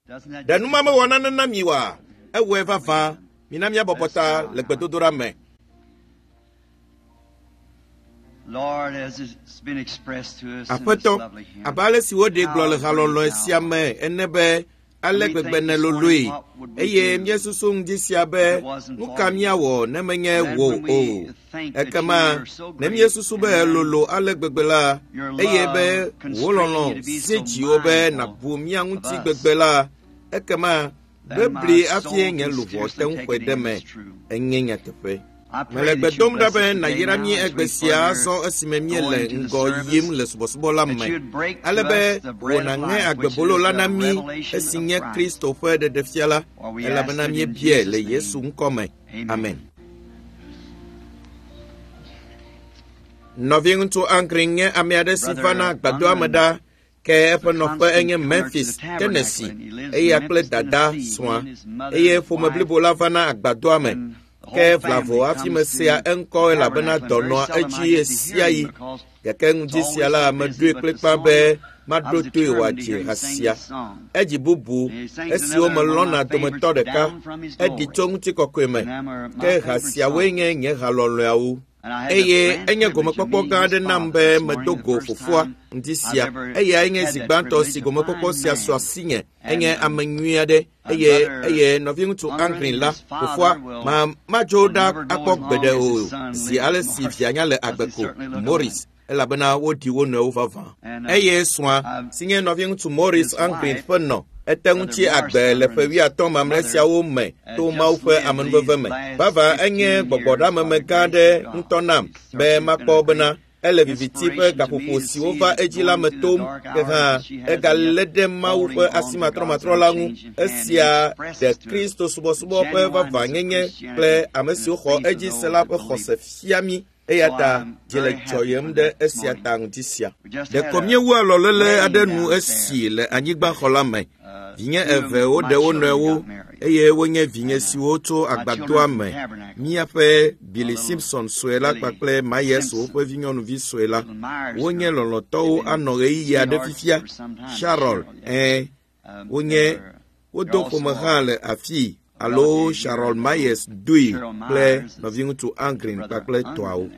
Ɖe nu ma mewɔ nane na mi oa? Ewɔe vavã. Mina míabɔbɔ ta le gbedodoɖa me. Aƒetɔ, abe ale si woɖee gblɔ le halɔlɔ̃e sia me ene be ale gbegbe nèloloe, eye míesusu ŋdi sia be nu ka míawɔ ne menye wò o. Ekema ne míesusu be lolo ale gbegbe la, eye be wò lɔlɔ̃ si dziwò be nàbu mía ŋuti gbegbe la, ekema bebli hafi nye luʋɔ te ŋu xɔe ɖe me. Enye nyateƒe. Mele gbe dom ɖa be nàyra mí egbe sia azɔ esime míele ŋgɔ yim le subɔsubɔ la me, ale be wò nàŋe agbebolo la na mí esi nye Kristo ƒe ɖeɖefia la, elabena míebiae le Yesu ŋkɔ me. Amen. Nɔviŋutsu Angren nye ame aɖe si vana gbadɔa me ɖa ke eƒe nɔƒe enye Memphis, Tennessee. Eya kple dada srɔ̃a eye ƒome blibo la vana agbadɔa me. Ke vlavo hafi mesea eŋkɔ elabena dɔ nɔa edzi ɣesiaɣi. Gake ŋdi sia la, meɖoe kplikpaa be maɖo toe wòadzi ha sia. Edzi bubu esiwo melɔ̃na dometɔ ɖeka. Eɖi tso ŋutikɔkɔe me. Ke ha siawoe nye nye ha lɔlɔ̃awo. Eye enye gomekpɔkpɔ gã aɖe nam be medo go fofoa ŋdi sia. Eyae nye zi gbãtɔ si gomekpɔkpɔ sia su asinye. Enye ame nyui aɖe eye eye nɔviŋutsu Angren la, fofoa, ma madzo ɖa akpɔ gbeɖe o zi ale si via nya le agbe ko, Morris, elabena woɖi wo nɔewo vavã. Eye srɔ̃a, si nye nɔviŋutsu Morris Angren ƒe nɔ, ete ŋu tsi agbe le ƒe wuiatɔ̃ mamlɛ siawo me to Mawu ƒe amenuveve me. Vavã enye gbɔgbɔɖeameme gã aɖe ŋutɔ nam be makpɔ bena ele viviti ƒe gaƒoƒo siwo va edzi la me tom, ke hã egalé ɖe Mawu ƒe asimatrɔmatrɔ la ŋu. Esia ɖe Kristo subɔsubɔ ƒe vavãnyenye kple ame siwo xɔ edzi se la ƒe xɔse fia mí. Eya ta dzi le dzɔyem ɖe esia ta ŋdi sia. Ɖeko míewu alɔléle aɖe nu esi le anyigbaxɔ la me. Vinye eve woɖe wo nɔewo eye wonye vinye siwo tso agbadɔa me. Míaƒe Billy Simpson sue la kpakple Myers woƒe vinyɔnuvi sue la. Wonye lɔlɔ̃tɔwo anɔ ɣeyiɣi aɖe fifia. Sharon, ɛ̃, wonye wodo ƒome hã le afii alo Sharon Myers doe kple nɔviŋutsu Angren kpakple tɔawo.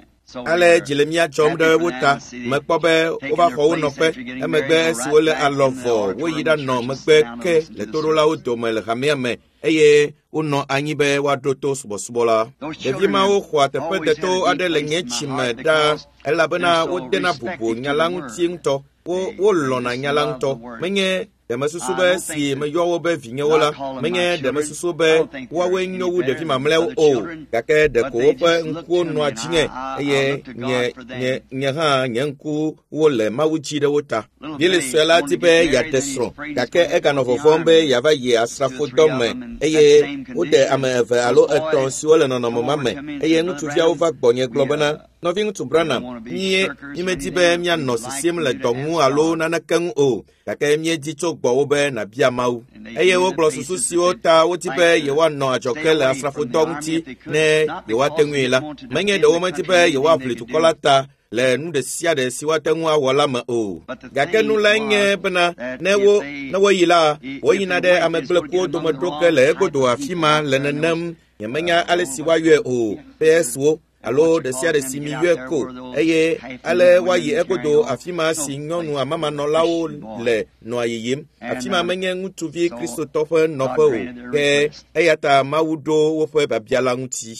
Ale dzi le mía dzɔm ɖe wo ta. Mekpɔ be wova xɔ wo nɔƒe. Emegbe esi wole alɔ vɔ, woyi ɖanɔ megbe ke le toɖolawo dome le hamea me eye wonɔ anyi be woaɖo to subɔsubɔ la. Ɖevi mawo xɔa teƒe deto aɖe le nye tsime ɖaa elabena wodena bubu nya la ŋuti ŋutɔ. Wo wolɔ̃na nya la ŋutɔ. Menye ɖe mesusu be si meyɔ wo be vinyewo la, menye ɖe mesusu be woawoe nyo wu ɖevi mamlɛawo o, gake ɖeko woƒe ŋkuwo nɔa dzinye eye nye nye nye hã nye ŋkuwo le Mawu dzi ɖe wo ta. Billy sue la di be yeaɖe srɔ̃, gake eganɔ vɔvɔ̃m be yeava yi asrafodɔ me eye wode ame eve alo etɔ̃ siwo le nɔnɔme ma me eye ŋutsuviawo va gbɔnye gblɔ bena, Nɔviŋutsu Branham, míe mímedi be míanɔ sisim le dɔ ŋu alo naneke ŋu o, gake míedi tso gbɔwò be nàbia Mawu. Eye wogblɔ susu siwo ta wodi be yewoanɔ adzɔge le asrafodɔ ŋuti ne yewoate ŋui la. Menye ɖe womedi be yewoaʋli dukɔ la ta le nu ɖe sia ɖe si woate ŋu awɔ la me o. Gake nu lae nye bena ne wo ne woyi la, woyina ɖe ame gblẽkuwo dome ɖo ge le egodo afi ma le nenem. Nyemenya ale si woayɔe o. PS-wo alo ɖe sia ɖe si miyɔe ko eye ale woayi egodo afi ma si nyɔnu amamanɔlawo le nɔa yiyim. Afi ma menye ŋutsuvi Kristotɔ ƒe nɔƒe o, ke eya ta Mawu ɖo woƒe biabia la ŋuti.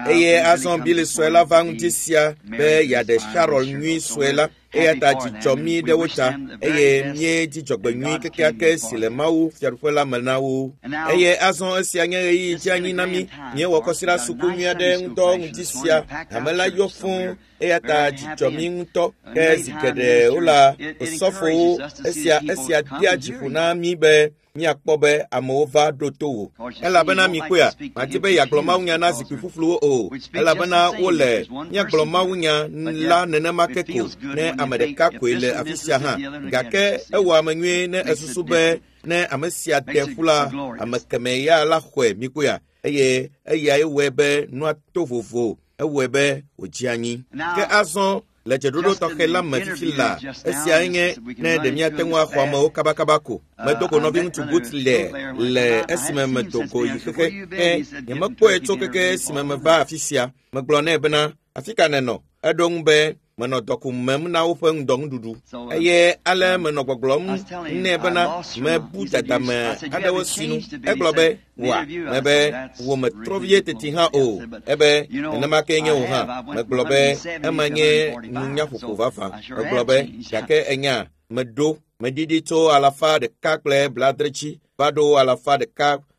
Eye azɔ Billy sue la va ŋdi sia be yeaɖe Sharon nyui sue la. Eya ta dzi dzɔ mí ɖe wo ta eye míedi dzɔgbenyui kekeake si le Mawu Fiaɖuƒe la me na wo. Eye azɔ esia nye ɣeyiɣi dzeanyi na mí. Míewɔ kɔsiɖa suku nyui aɖe ŋudɔ ŋdi sia. Hame la yɔ fũu eya ta dzi dzɔ mí ŋutɔ. Ke zi geɖe wola osɔfowo esia esia dea dzi ƒo na mí be míakpɔ be amewo va ɖo to wò. Elabena mikpɔea, madi be yeagblɔ mawunya na zikpui ƒuƒluwo o, elabena wole míagblɔ mawunya la nenema ke ko ne ame ɖeka koe le afi sia hã. Gake ewɔ ame nyuie ne esusu be ne ame sia de ƒu la, ame kemɛ ya la xɔe mikpɔea, eye eyae wɔe be nua to vovo, ewɔe be wòdze anyi. Ke azɔ. Le dzeɖoɖo tɔxɛ la me fifi la, esiae nye ne ɖe míate ŋu axɔ amewo kabakaba ko. Medo go nɔviŋutsu Butler le esime medo go yi xexe ke nyemekpɔe tso keke esime meva afi sia. Megblɔ nɛ bena, afi ka nènɔ? Eɖo ŋu be, menɔ dɔku mem na woƒe ŋdɔnuɖuɖu. Eye ale menɔ gbɔgblɔm nɛ bena mebu dadame aɖewo sinu. Egblɔ be, wa, mebe wò metrɔ vie teti hã o. Ebe nenema kee nye wò hã. Megblɔ be ema nye nunyaƒoƒo vavã. Megblɔ be gake enya meɖo meɖiɖi tso 170 dzi va ɖo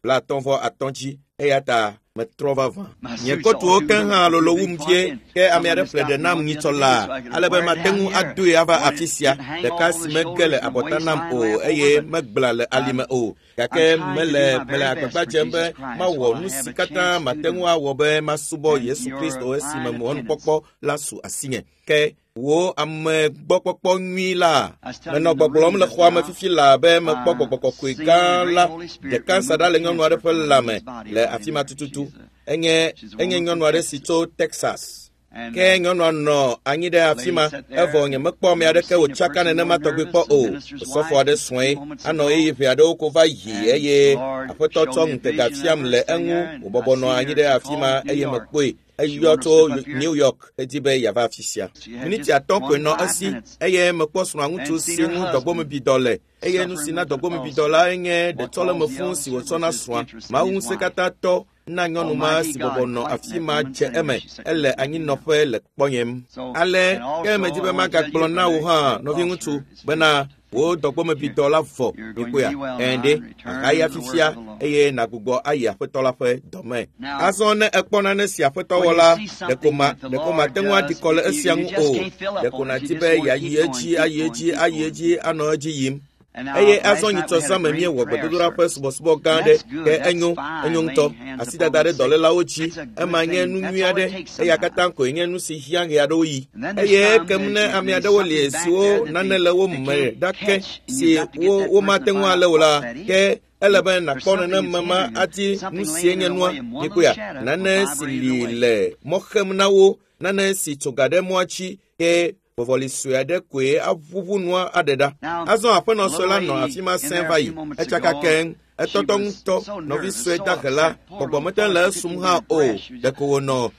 153 dzi eya ta metrɔ vavã. Nye kotuwo ke hã lolo wum vie ke ame aɖe ƒle ɖe nam nyitsɔ laa ale be mate ŋu adoe ava afi sia. Ɖeka si mege le abɔta nam o eye megbla le alime o. Gake mele agbagba dzem be mawɔ nu si katã mate ŋu awɔ be masubɔ Yesu Kristo esime mɔnukpɔkpɔ la su asinye. Ke wo ame gbɔkpɔkpɔ nyui la, menɔ gbɔgblɔm le xɔa me fifi laa be mekpɔ gbɔgbɔ kɔkɔe gã la ɖeka sa ɖa le nyɔnu aɖe ƒe lãme le afi ma tututu. Enye nyɔnu aɖe si tso Texas. Ke nyɔnua nɔ anyi ɖe afi ma evɔ nyemekpɔ ame aɖeke wòtsaka nenema tɔgbi kpɔ o. Osɔfo aɖe srɔ̃e anɔ ɣeyiɣi ʋɛ aɖewo ko va yi eye aƒetɔ tsɔ ŋutega fiam le eŋu wòbɔbɔ nɔ anyi ɖe afi ma eye mekpɔe. Eyɔ tso New York edi be yeava afi sia. Miniti 5 koe nɔ esi eye mekpɔ srɔ̃aŋutsu si ŋu dɔgbomebidɔ le eye nu si na dɔgbomebidɔ la nye ɖetsɔleme fũu si wòtsɔ na srɔ̃a. Mawu ŋusẽkatãtɔ na nyɔnu ma si bɔbɔ nɔ afi ma dze eme ele anyinɔƒe le kpɔnyem. Ale ke medi be magagblɔ na wò hã nɔviŋutsu bena wò dɔgbomebidɔ la vɔ mikpɔea ɛnde ahaya fifia eye nàgbugbɔ ayi aƒetɔ la ƒe dɔme. Azɔ ne ekpɔ nane si aƒetɔ wɔ la, ɖeko mate ŋu aɖi kɔ le esia ŋu o. Ɖeko nàdi be yeayi edzi, ayi edzi, ayi edzi, anɔ edzi yim. Eye azɔ nyitsɔ zã me míewɔ gbedodoɖa ƒe subɔsubɔ gã aɖe ke enyo ŋutɔ. Asidada ɖe dɔlélawo dzi, ema nye nu nyui aɖe, eya katã koe nye nu si hiã ɣe aɖewo yi. Eye ekem ne ame aɖewo li siwo nane le wo me ɖake si womate ŋu alé o la, ke ele be nàkpɔ nenema ma adi nu sie nye nua. Mikpɔea, nane si li le mɔ xem na wo, nane si tso ga ɖe mɔa dzi ke vɔvɔli sue aɖe koe aʋuʋu nua aɖe ɖa. Azɔ aƒenɔ sue la nɔ afi ma sẽ va yi. Etsaka keŋ, etɔtɔ ŋutɔ, nɔvi sue dahe la, gbɔgbɔ mete le esum hã o. Ɖeko wònɔ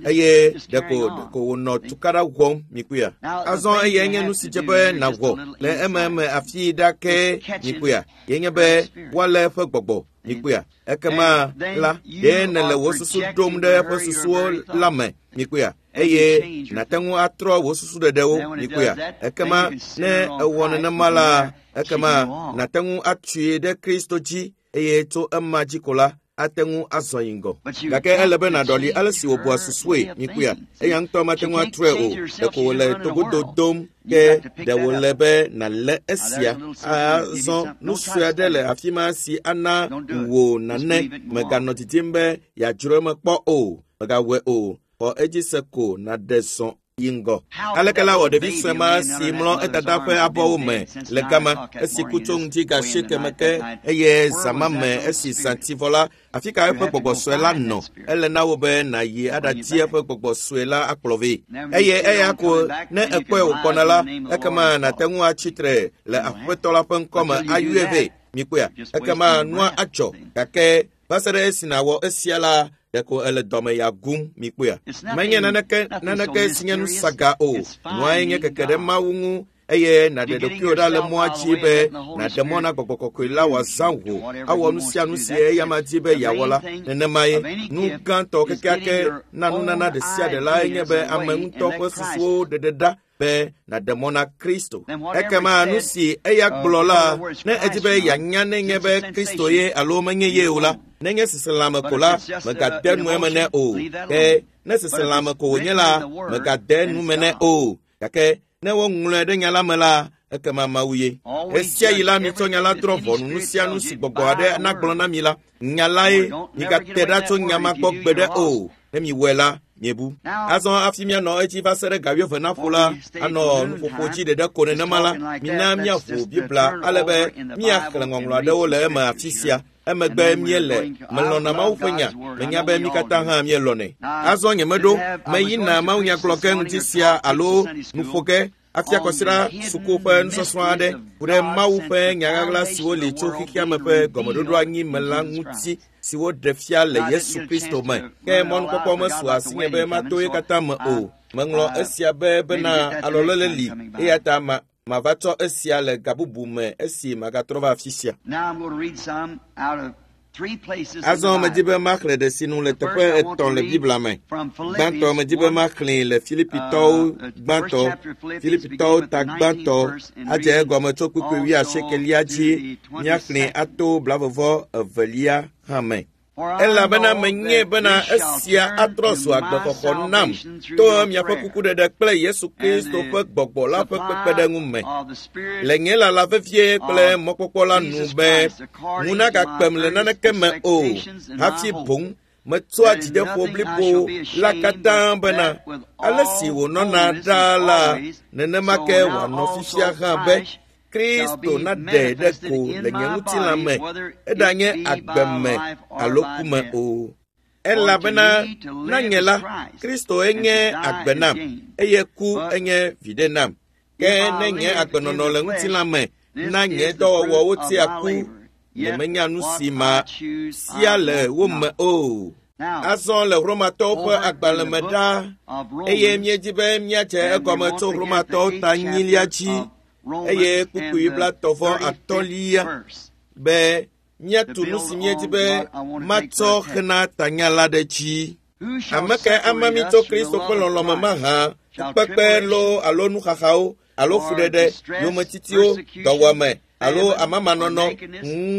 eye ɖeko wònɔ tukaɖa wɔm mikpɔea. Azɔ eyae nye nu si dze be nàwɔ le ememe afi ɖa ke mikpɔea. Ye nye be woalé eƒe gbɔgbɔ mikpɔea. Ekema la, ɖe nèle wò susu ɖom ɖe eƒe susuwo la me mikpɔea. Eye nàte ŋu atrɔ wò susu ɖeɖewo mikpɔea. Ekema ne ewɔ nenema la, ekema nàte ŋu atui ɖe Kristo dzi eye tso ema dzi ko la, ate ŋu azɔ yi ŋgɔ. Gake ele be nàɖɔli ale si wòbua susue mikpɔea. Eya ŋutɔ mate ŋu atrɔe o. Ɖeko wòle togodo dom ke ɖe wòle be nàlé esia. Azɔ nu sue aɖe le afi ma si ana wò nane. Mèganɔ didim be yeadzro eme kpɔ o. Mègawɔe o. Xɔ edzi se ko nàɖe zɔ yi ŋgɔ. Aleke la wɔ ɖevi sue ma si mlɔ edada ƒe abɔwo me le gama esi ku tso ŋdi ga 8 me ke eye zã me esi zã ti vɔ la, afi ka eƒe gbɔgbɔ sue la nɔ? Ele na wò be nàyi aɖadi eƒe gbɔgbɔ sue la akplɔ vɛ. Eye eya ko ne ekpɔe wògbɔna la, ekema nàte ŋu atsi tre le aƒetɔ la ƒe ŋkɔme ayɔe vɛ. Mikpɔea, ekema nua adzɔ. Gake va se ɖe esi nàwɔ esia la, ɖeko ele dɔme ya gum mikpɔea. Menye naneke si nye nu saga o. Nuae nye keke ɖe Mawu ŋu eye nàɖe ɖokuiwò ɖa le mɔa dzi be nàɖe mɔ na gbɔgbɔ kɔkɔe la wòazã wò awɔ nu sia nu si eya ma di be yeawɔ la. Nenemae nu gãtɔ kekeake na nunana ɖe sia ɖe lae nye be ame ŋutɔ ƒe susuwo ɖeɖe ɖa be nàɖe mɔ na Kristo. Ekema nu si eya gblɔ la, ne edi be yeanya nenye be Kristo ye alo menye ye o la, nenye seselãme ko la, mègade nu eme nɛ o. Ke ne seselãme ko wònye la, mègade nu me nɛ o. Gake ne woŋlɔe ɖe nya la me la, ekema Mawu ye. Ɣesiaɣi la mitsɔ nya la drɔ̃ ʋɔnu nu sia nu si gbɔgbɔ aɖe nagblɔ na mi la, nya lae. Migate ɖa tso nya ma gbɔ gbeɖe o. Ne miwɔe la, miebu. Azɔ hafi míanɔ edzi va se ɖe ga 11 naƒo la, anɔ nuƒoƒo dzi ɖeɖe ko nenema la, mina míaʋu Biblia ale be míaxlẽ ŋɔŋlɔ aɖewo le eme afi sia. Emegbe míele melɔ̃na Mawu ƒe nya. Menya be mí katã hã míelɔ̃nɛ. Azɔ nyemeɖo meyina mawunyagblɔ ge ŋuti sia alo nuƒo ge afia kɔsiɖa suku ƒe nusɔsrɔ̃ aɖe ku ɖe Mawu ƒe nyaɣaɣla siwo li tso xexeame ƒe gɔmeɖoɖo anyi me la ŋuti si woɖe fia le Yesu Kristo me. Ke mɔnukpɔkpɔ mesu asinye be mato ye katã me o. Meŋlɔ esia be bena alɔlele li eya ta mava tsɔ esia le gabubu me esi magatrɔ va afi sia. Azɔ medi be maxlẽ ɖe sinu le teƒe etɔ̃ le Biblia me. Gbãtɔ medi be maxlẽe le Filipitɔwo gbãtɔ, Filipitɔwo ta gbãtɔ adze egɔme tso kpukpui wuiasiekelia dzi míaxlẽe ato blavevɔ evelia hã me. Elabena menyae bena esia atrɔ zu agbexɔxɔ nam to miaƒe kukuɖeɖe kple Yesu Kristo ƒe gbɔgbɔ la ƒe kpekpeɖeŋu me. Le nye lala vevie kple mɔkpɔkpɔ la nu be ŋu nagakpem le naneke me o, hafi boŋ metsɔa dzideƒo blibo la katã bena ale si wònɔna ɖaa la, nenema ke wòanɔ fifia hã be Kristo naɖe ɖe ko le nye ŋutilã me, eɖanye agbe me alo ku me o. Elabena na nye la, Kristo enye agbe nam, eye ku enye viɖe nam. Ke ne nye agbenɔnɔ le ŋutilã me na nye dɔwɔwɔwo tia ku, nyemenya nu si ma sia le wo me o. Azɔ le Romatɔwo ƒe agbalẽ me ɖa, eye míedi be míadze egɔme tso Romatɔwo ta nyilia dzi, eye kpukpui blatɔ̃ atɔ̃lia be míatu nu si míedi be matsɔ xena tanya la ɖe dzi. Ame kae ama mí tso Kristo ƒe lɔlɔ̃ me mahã? Fukpekpe loo alo nuxaxawo alo fuɖeɖe, yometitiwo, dɔwɔame alo amamanɔnɔ,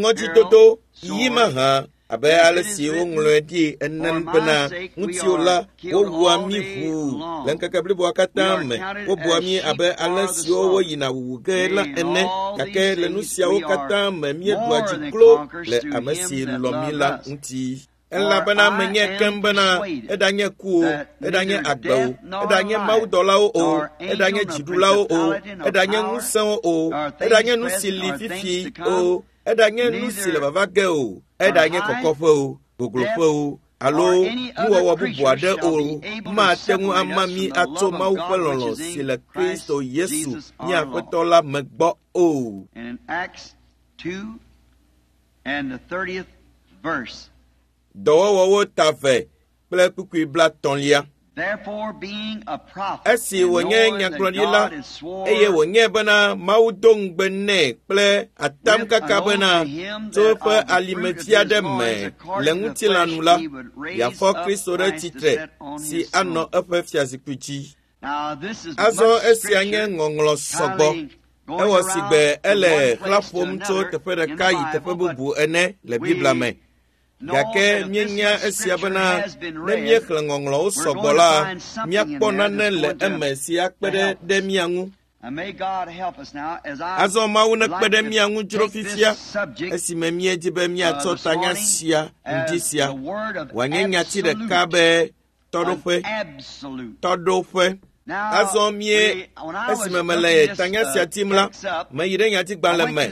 ŋɔdzidodo yi mahã abe ale si woŋlɔe ɖi ene bena ŋutiwo la wowua mí ʋuu le ŋkeke bliboa katã me. Wobua mí abe ale siwo woyina wuwu ge la ene, gake le nu siawo katã me míeɖua dzi klo le ame si lɔ̃ mí la ŋuti. Elabena menye keŋ bena eɖanye ku o, eɖanye agbe o, eɖanye mawudɔlawo o, eɖanye dziɖulawo o, eɖanye ŋusẽwo o, eɖanye nu si li fifi o, eɖanye nu si le vava ge o, eɖanye kɔkɔƒe o, gogloƒe o, alo nuwɔwɔ bubu aɖe o, mate ŋu ama mí atso Mawu ƒe lɔlɔ̃ si le Kristo Yesu mía Aƒetɔ la me gbɔ o. Dɔwɔwɔwo ta ve kple kpukpui blatɔ̃lia. Esi wònye nyagblɔɖila eye wònye bena Mawu do ŋugbe nɛ kple atamkaka bena tso eƒe alimevi aɖe me le ŋutilã nu la, yeafɔ Kristo ɖe tsitre si anɔ eƒe fiazikpui dzi. Azɔ esia nye ŋɔŋlɔ sɔgbɔ. Ewɔ si gbe ele xlã ƒom tso teƒe ɖeka yi teƒe bubu ene le Biblia me. Gake míenya esia bena ne míexlẽ ŋɔŋlɔwo sɔgbɔ la, míakpɔ nane le eme si akpe ɖe mía ŋu. Azɔ Mawu nekpe ɖe mía ŋu dzro fifia esime míedi be míatsɔ tanya sia ŋdi sia wòanye nyati ɖeka be tɔɖoƒe. Tɔɖoƒe. Azɔ mie esime mele tanya sia tim la, meyi ɖe nyatigbalẽ me.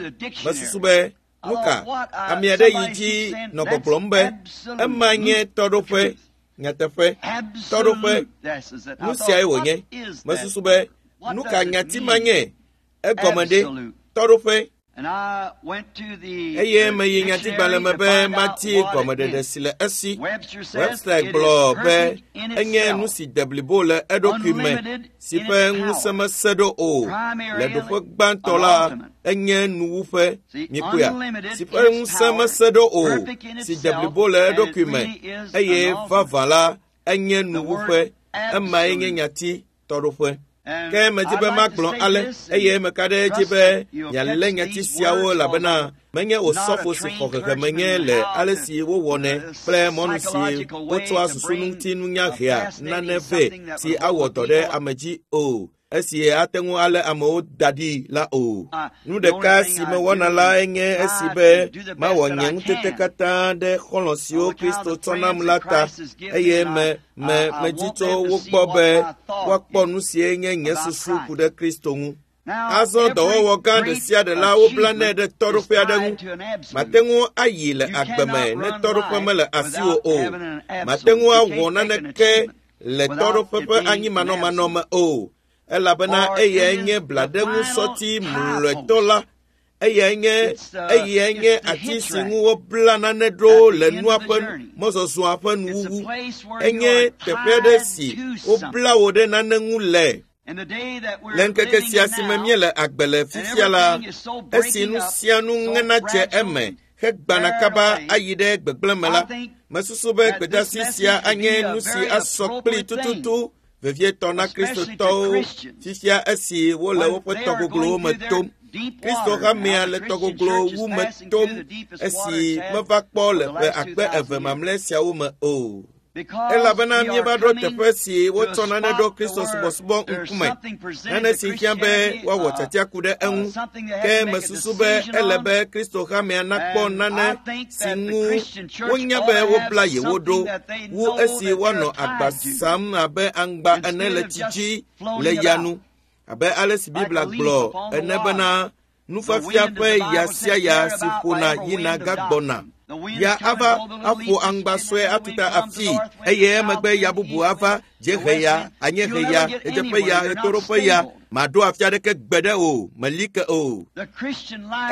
Mesusu be nuka ame aɖe yi dzi nɔ gbɔgblɔm be ema nye tɔɖoƒe nyateƒe tɔɖoƒe nu siae wònye. Mesusu be nuka nyati ma nye egɔme ɖe tɔɖoƒe. Eye meyi nyatigbalẽ me be mati gɔmeɖeɖe si le esi. Webster gblɔ be enye nu si de blibo le eɖokui me si ƒe ŋusẽ mese ɖo o. Le ɖoƒe gbãtɔ la, enye nuwuƒe mikpɔea si ƒe ŋusẽ mese ɖo o, si de blibo le eɖokui me eye vavã la enye nuwuƒe. Emae nye nyati tɔɖoƒe. Ke medi be magblɔ ale eye meka ɖe edzi be mialé nyati siawo elabena menye osɔfo si xɔ hehe menye le ale si wowɔnɛ kple mɔnu si wotsɔa susuŋutinunya hea nane vɛ si awɔ dɔ ɖe ame dzi o, esi ate ŋu alé amewo da ɖi la o. Nu ɖeka si mewɔna la enye esi be mawɔ nye ŋutete katã ɖe xɔlɔ̃ siwo Kristo tsɔ nam la ta eye medi tso wo gbɔ be woakpɔ nu sie nye nye susu ku ɖe Kristo ŋu. Azɔ dɔwɔwɔ gã ɖe sia ɖe la woblanɛ ɖe tɔɖoƒe aɖe ŋu. Mate ŋu ayi le agbe me ne tɔɖoƒe mele asiwò o. Mate ŋu awɔ naneke le tɔɖoƒe ƒe anyimanɔmanɔ me o, elabena eyae nye blaɖeŋusɔti mlɔetɔ la. Eyae nye eyae nye ati si ŋu wobla nane ɖo le nua ƒe mɔzɔzɔa ƒe nuwuwu. Enye teƒe aɖe si wobla wò ɖe nane ŋu le. Le ŋkeke sia si me míele agbe le fifia la, esi nu sia nu ŋena dze eme hegbana kaba ayi ɖe gbegblẽ me la, mesusu be gbedeasi sia anye nu si asɔ kpli tututu vevietɔ na Kristotɔwo fifia esi wole woƒe tɔgoglowo me tom. Kristo hamea le tɔgoglo wu me tom esi meva kpɔ le ƒe akpe eve mamlɛ siawo me o. Elabena míeva ɖo teƒe si wotsɔ nane ɖo Kristo subɔsubɔ ŋkume, nane si hiã be woawɔ tiatia ku ɖe eŋu. Ke mesusu be ele be Kristo hamea nakpɔ nane si ŋu wonya be wobla yewo ɖo wu esi woanɔ agba sam abe aŋgba ene le tsi dzi le ya nu, abe ale si Biblia gblɔ ene bena nufiafia ƒe ya sia ya si ƒona yina gagbɔna. Ya ava aƒo aŋgba sue atuta afii eye emegbe ya bubu ava dziehe ya, anyiehe ya, ɣedzeƒe ya, ɣetoɖoƒe ya. Maɖo afi aɖeke gbe ɖe o, meli ke o.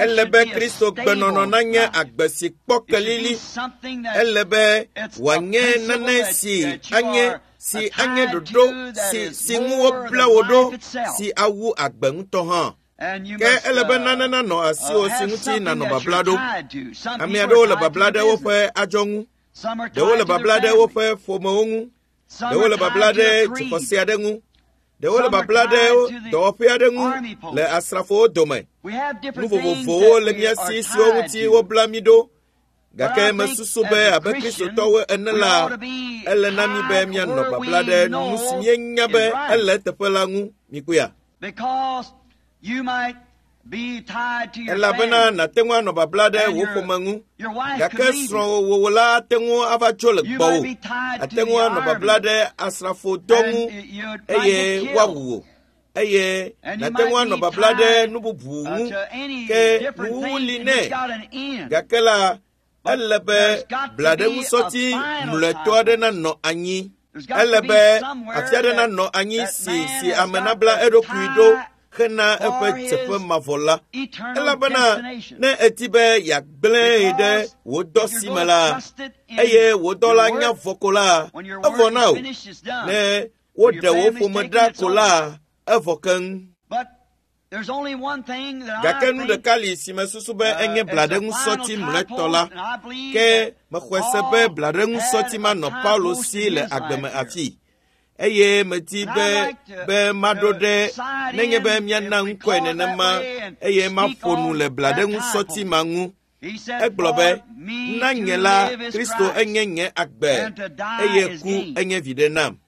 Ele be Kristo gbenɔnɔ nanye agbe si kpɔ kelili. Ele be wòanye nane si anye si anye ɖoɖo si si ŋu wobla wò ɖo si awu agbe ŋutɔ hã. Ke ele be nane nanɔ asiwò si ŋuti nànɔ babla ɖo. Ame aɖewo le babla ɖe woƒe adzɔ ŋu, ɖewo le babla ɖe woƒe ƒomewo ŋu, ɖewo le babla ɖe dzixɔse aɖe ŋu, ɖewo le babla ɖe dɔwɔƒe aɖe ŋu le asrafowo dome. Nu vovovowo le mía si siwo ŋuti wobla mí ɖo. Gake mesusu be abe Kristotɔwo ene la, ele na mí be míanɔ babla ɖe nu si míenya be ele eteƒe la ŋu. Mikpɔea? Elabena nàte ŋu anɔ babla ɖe wò ƒome ŋu, gake srɔ̃wò la ate ŋu ava tso le gbɔwò. Ate ŋu anɔ babla ɖe asrafodɔ ŋu eye woawu wò. Eye nàte ŋu anɔ babla ɖe nu bubu ŋu, ke nuwuwu li nɛ. Gake la, ele be blaɖeŋusɔti mlɔetɔ aɖe nanɔ anyi. Ele be afi aɖe nanɔ anyi si si ame nabla eɖokui ɖo hena eƒe dzeƒe mavɔ la. Elabena ne èdi be yeagblẽe ɖe wò dɔ si me la, eye wò dɔ la nya vɔ ko la, evɔ na wò. Ne woɖe wò ƒome ɖa ko la, evɔ keŋ. Gake nu ɖeka li si mesusu be enye blaɖeŋusɔti mlɔetɔ la, ke mexɔe se be blaɖeŋusɔti manɔ Paulo si le agbe me afii. Eye medi be be maɖo ɖe nenye be míana ŋkɔe nenema eye maƒo nu le blaɖeŋusɔti ma ŋu. Egblɔ be, na nye la, Kristo enye nye agbe eye ku enye viɖe nam.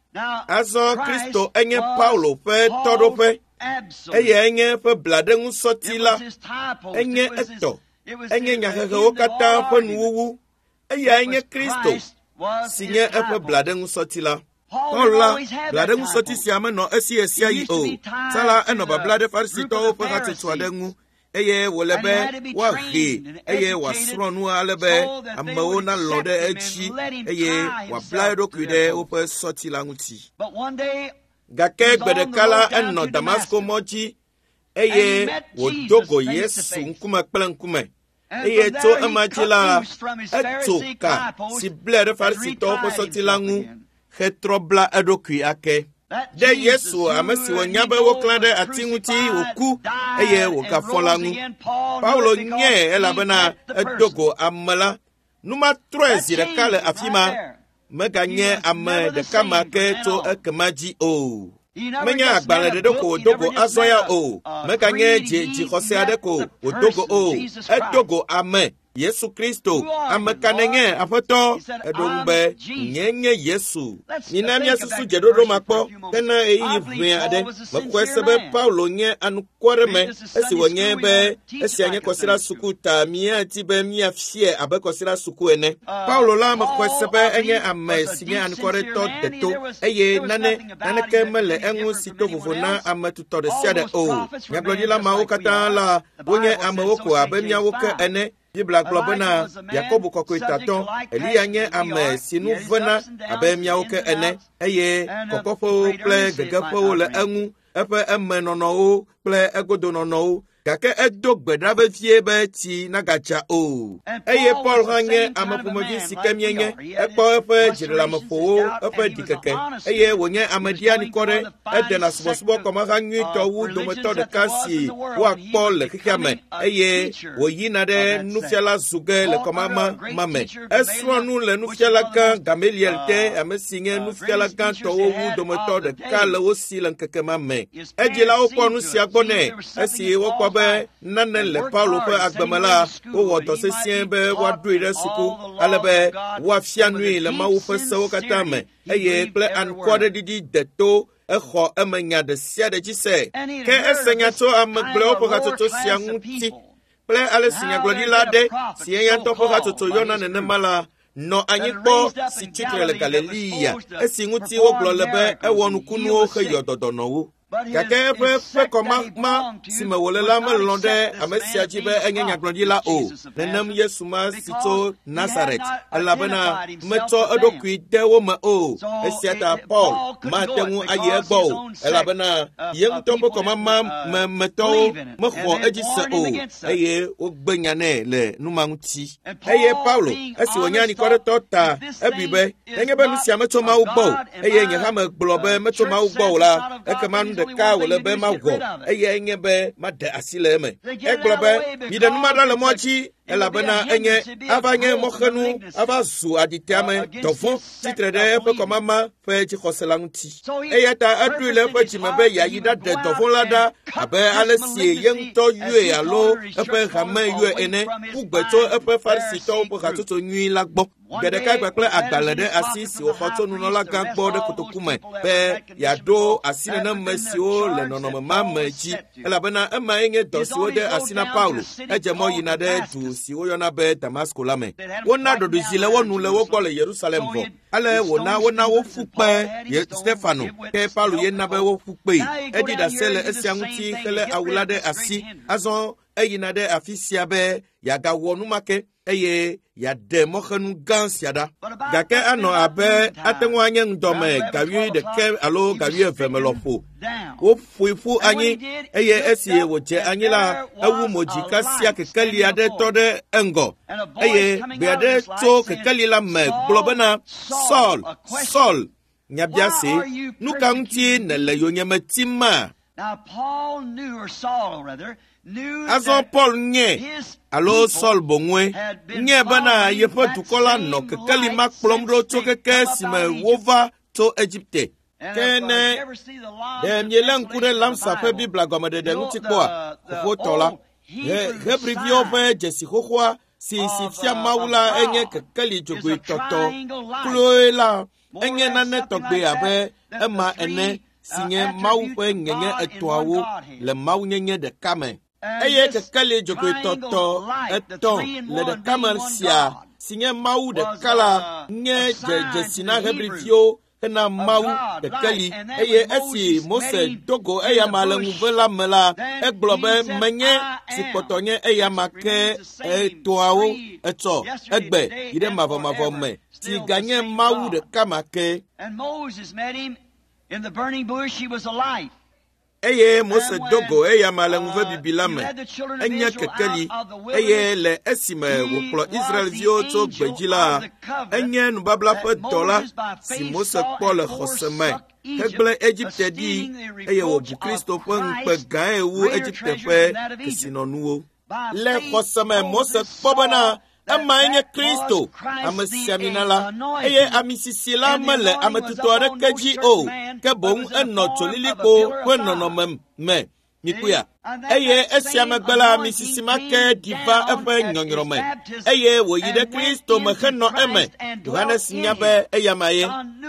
Azɔ Kristo enye Paulo ƒe tɔɖoƒe. Eyae nye eƒe blaɖeŋusɔti la. Enye etɔ. Enye nyahehewo katã ƒe nuwuwu. Eyae nye Kristo si nye eƒe blaɖeŋusɔti la. Paul la, blaɖeŋusɔti sia menɔ esi ɣesiaɣi o. Tsã la, enɔ babla ɖe Farisitɔwo ƒe hatsotso aɖe ŋu eye wòle be woahee eye wòasrɔ̃ nu ale be amewo nalɔ̃ ɖe edzi eye wòabla eɖokui ɖe woƒe sɔti la ŋuti. Gake gbe ɖeka la, enɔ Damasko mɔ dzi eye wòdo go Yesu ŋkume kple ŋkume. Eye tso ema dzi la, etso ka si blae ɖe Farisitɔwo ƒe sɔti la ŋu hetrɔ bla eɖokui ake. Ɖe Yesu, ame si wònya be woklã ɖe ati ŋuti wòku eye wògafɔ la ŋu. Paulo nyae elabena edo go ame la. Nu ma trɔe zi ɖeka le afi ma. Meganye ame ɖeka ma ke tso ekema dzi o. Menye agbalẽ ɖeɖe ko wòdo go azɔ ya o. Meganye dzixɔse aɖe ko wòdo go o. Edo go ame. Yesu Kristo, ame ka nènye, Aƒetɔ? Eɖo ŋu be, nye nye Yesu. Mina míasusu dzeɖoɖo ma kpɔ hena ɣeyiɣi ʋɛ aɖe. Mexɔe se be Paulo nye anukware me esi wònye be esia nye kɔsiɖa suku ta míadi be míafiae abe kɔsiɖa suku ene. Paulo la mexɔe se be enye ame si nye anukwaretɔ deto eye naneke mele eŋu si to vovo na ame tutɔ ɖe sia ɖe o. Nyagblɔɖila mawo katã la wonye amewo ko abe míawo ke ene. Biblia gblɔ bena Yakobo kɔkɔe tatɔ Eliya nye ame si nu vena abe míawo ke ene eye kɔkɔƒewo kple gegeƒewo le eŋu, eƒe emenɔnɔwo kple egodonɔnɔwo. Gake edo gbe ɖa vevie be tsi nagadza o. Eye Paul hã nye ame ƒomevi si ke míenye. Ekpɔ eƒe dziɖeleameƒowo, eƒe ɖikeke eye wònye ame ɖianikɔ ɖe. Edena subɔsubɔ kɔmaha nyuitɔ wu dometɔ ɖeka si woakpɔ le xexea me eye wòyina ɖe nufiala zu ge le kɔmama ma me. Esrɔ̃ nu le nufiala gã Gamaliel te, ame si nye nufiala gãtɔwo wu dometɔ ɖeka le wo si le ŋkeke ma me. Edzilawo kpɔ nu sia gbɔ nɛ esi wokpɔ be nane le Paulo ƒe agbe me la, wowɔ dɔ sesĩe be woaɖoe ɖe suku ale be woafia nui le Mawu ƒe sewo katã me eye kple anukware ɖiɖi deto exɔ eme nya ɖe sia ɖe dzi se. Ke ese nya tso ame gblɔewo ƒe hatsotso sia ŋuti kple ale si nyagblɔɖila aɖe si eya ŋutɔ ƒe hatsotso yɔna nenema la nɔ anyi kpɔ si tsitre le Galilea esi ŋuti wogblɔ le be ewɔ nukunuwo heyɔ dɔdɔnɔwo. Gake eƒe ƒekɔmama si me wòle la melɔ̃ ɖe ame sia dzi be enye nyagblɔɖila o. Nenem Yesu ma si tso Nazaret, elabena metsɔ eɖokui de wo me o. Esia ta Paul mate ŋu ayi egbɔ o, elabena ye ŋutɔ ƒe kɔmama me metɔwo mexɔ edzi se o, eye wogbe nya nɛ le nu ma ŋuti. Eye Paulo, esi wònye anikɔɖetɔ ta, ebui be nenye be nu sia metso Mawu gbɔ o, eye nye hã megblɔ be metso Mawu gbɔ o la, ekema nu ɖeka wòle be mawɔ, eye enye be maɖe asi le eme. Egblɔ be, miɖe nu ma ɖa le mɔa dzi, elabena enye ava nye mɔxenu ava zu aɖiteame dɔvɔ̃ tsitre ɖe eƒe kɔmama ƒe dzixɔse la ŋuti. Eya ta eɖoe le eƒe dzime be yeayi ɖaɖe dɔvɔ̃ la ɖa abe ale si ye ŋutɔ yɔe alo eƒe hame yɔe ene, ƒu gbe tso eƒe Farisitɔwo ƒe hatsotso nyui la gbɔ. Gbe ɖeka kpakple agbalẽ ɖe asi si wòxɔ tso nunɔlagã gbɔ ɖe kotoku me be yeaɖo asi neneme siwo le nɔnɔme ma me dzi, elabena emae nye dɔ si wode asi na Paulo. Edze mɔ yina ɖe du si woyɔna be Damasko la me. Wona ɖoɖoe le wo nu le wo gbɔ le Yerusalem vɔ. Ale wòna wona woƒu kpe Stefano, ke Paulo ye na be woƒu kpee. Eɖi ɖase le esia ŋuti helé awu la ɖe asi. Azɔ eyina ɖe afi sia be yeagawɔ nu ma ke eye yeaɖe mɔxenu gã sia ɖa. Gake anɔ abe ate ŋu anye ŋdɔme ga 11 alo ga 12 me lɔƒo. Woƒoe ƒu anyi eye esi wòdze anyi la, ewu mo dzi kasia kekeli aɖe tɔ ɖe eŋgɔ eye gbe aɖe tso kekeli la me gblɔ bena, Saul, Saul, nyabiase, nu ka ŋuti nèle yonyeme tim ma? Azɔ Paul nye alo Saul boŋue nye bena yeƒe dukɔ la nɔ kekeli ma kplɔm ɖo tso keke si me wova tso Egipte. Ke ne ɖe mielé ŋku ɖe Lamsa ƒe Biblia gɔmeɖeɖe ŋuti kpɔa, xoxotɔ la, Hebriviwo ƒe dzesi xoxoa si fia Mawu la enye kekeli dzogoe tɔtɔ kloe la, enye nane tɔgbe abe ema ene si nye Mawu ƒe ŋeŋe etɔ̃awo le mawunyenye ɖeka me. Eye kekeli dzogoe tɔtɔ etɔ̃ le ɖeka me sia si nye Mawu ɖeka la nye dzesi na Hebriviwo hena Mawu kekeli. Eye esi Mose do go eyama le ŋuve la me la, egblɔ be menye si kpɔtɔ nye eyama ke etɔawo etsɔ egbe yi ɖe mavɔmavɔ me si ganye Mawu ɖeka ma ke. Eye Mose do go eyama le ŋuve bibi la me, enye kekeli, eye le esime wòkplɔ Israelviwo tso gbedzi la, enye nubabla ƒe dɔla si Mose kpɔ le xɔse me hegblẽ Egipte ɖi, eye wòbu Kristo ƒe ŋukpe gãe wu Egipte ƒe kesinɔnuwo. Le xɔse me Mose kpɔ bena emae nye Kristo, ame siamina la, eye ami sisi la mele ame tutɔ aɖeke dzi o, ke boŋ enɔ dzolilikpo ƒe nɔnɔme me. Mikpɔea? Eye esia megbe la, ami sisi ma ke ɖi va eƒe nyɔnyrɔ me, eye wòyi ɖe Kristo me henɔ eme. Yohanes nya be eyama ye.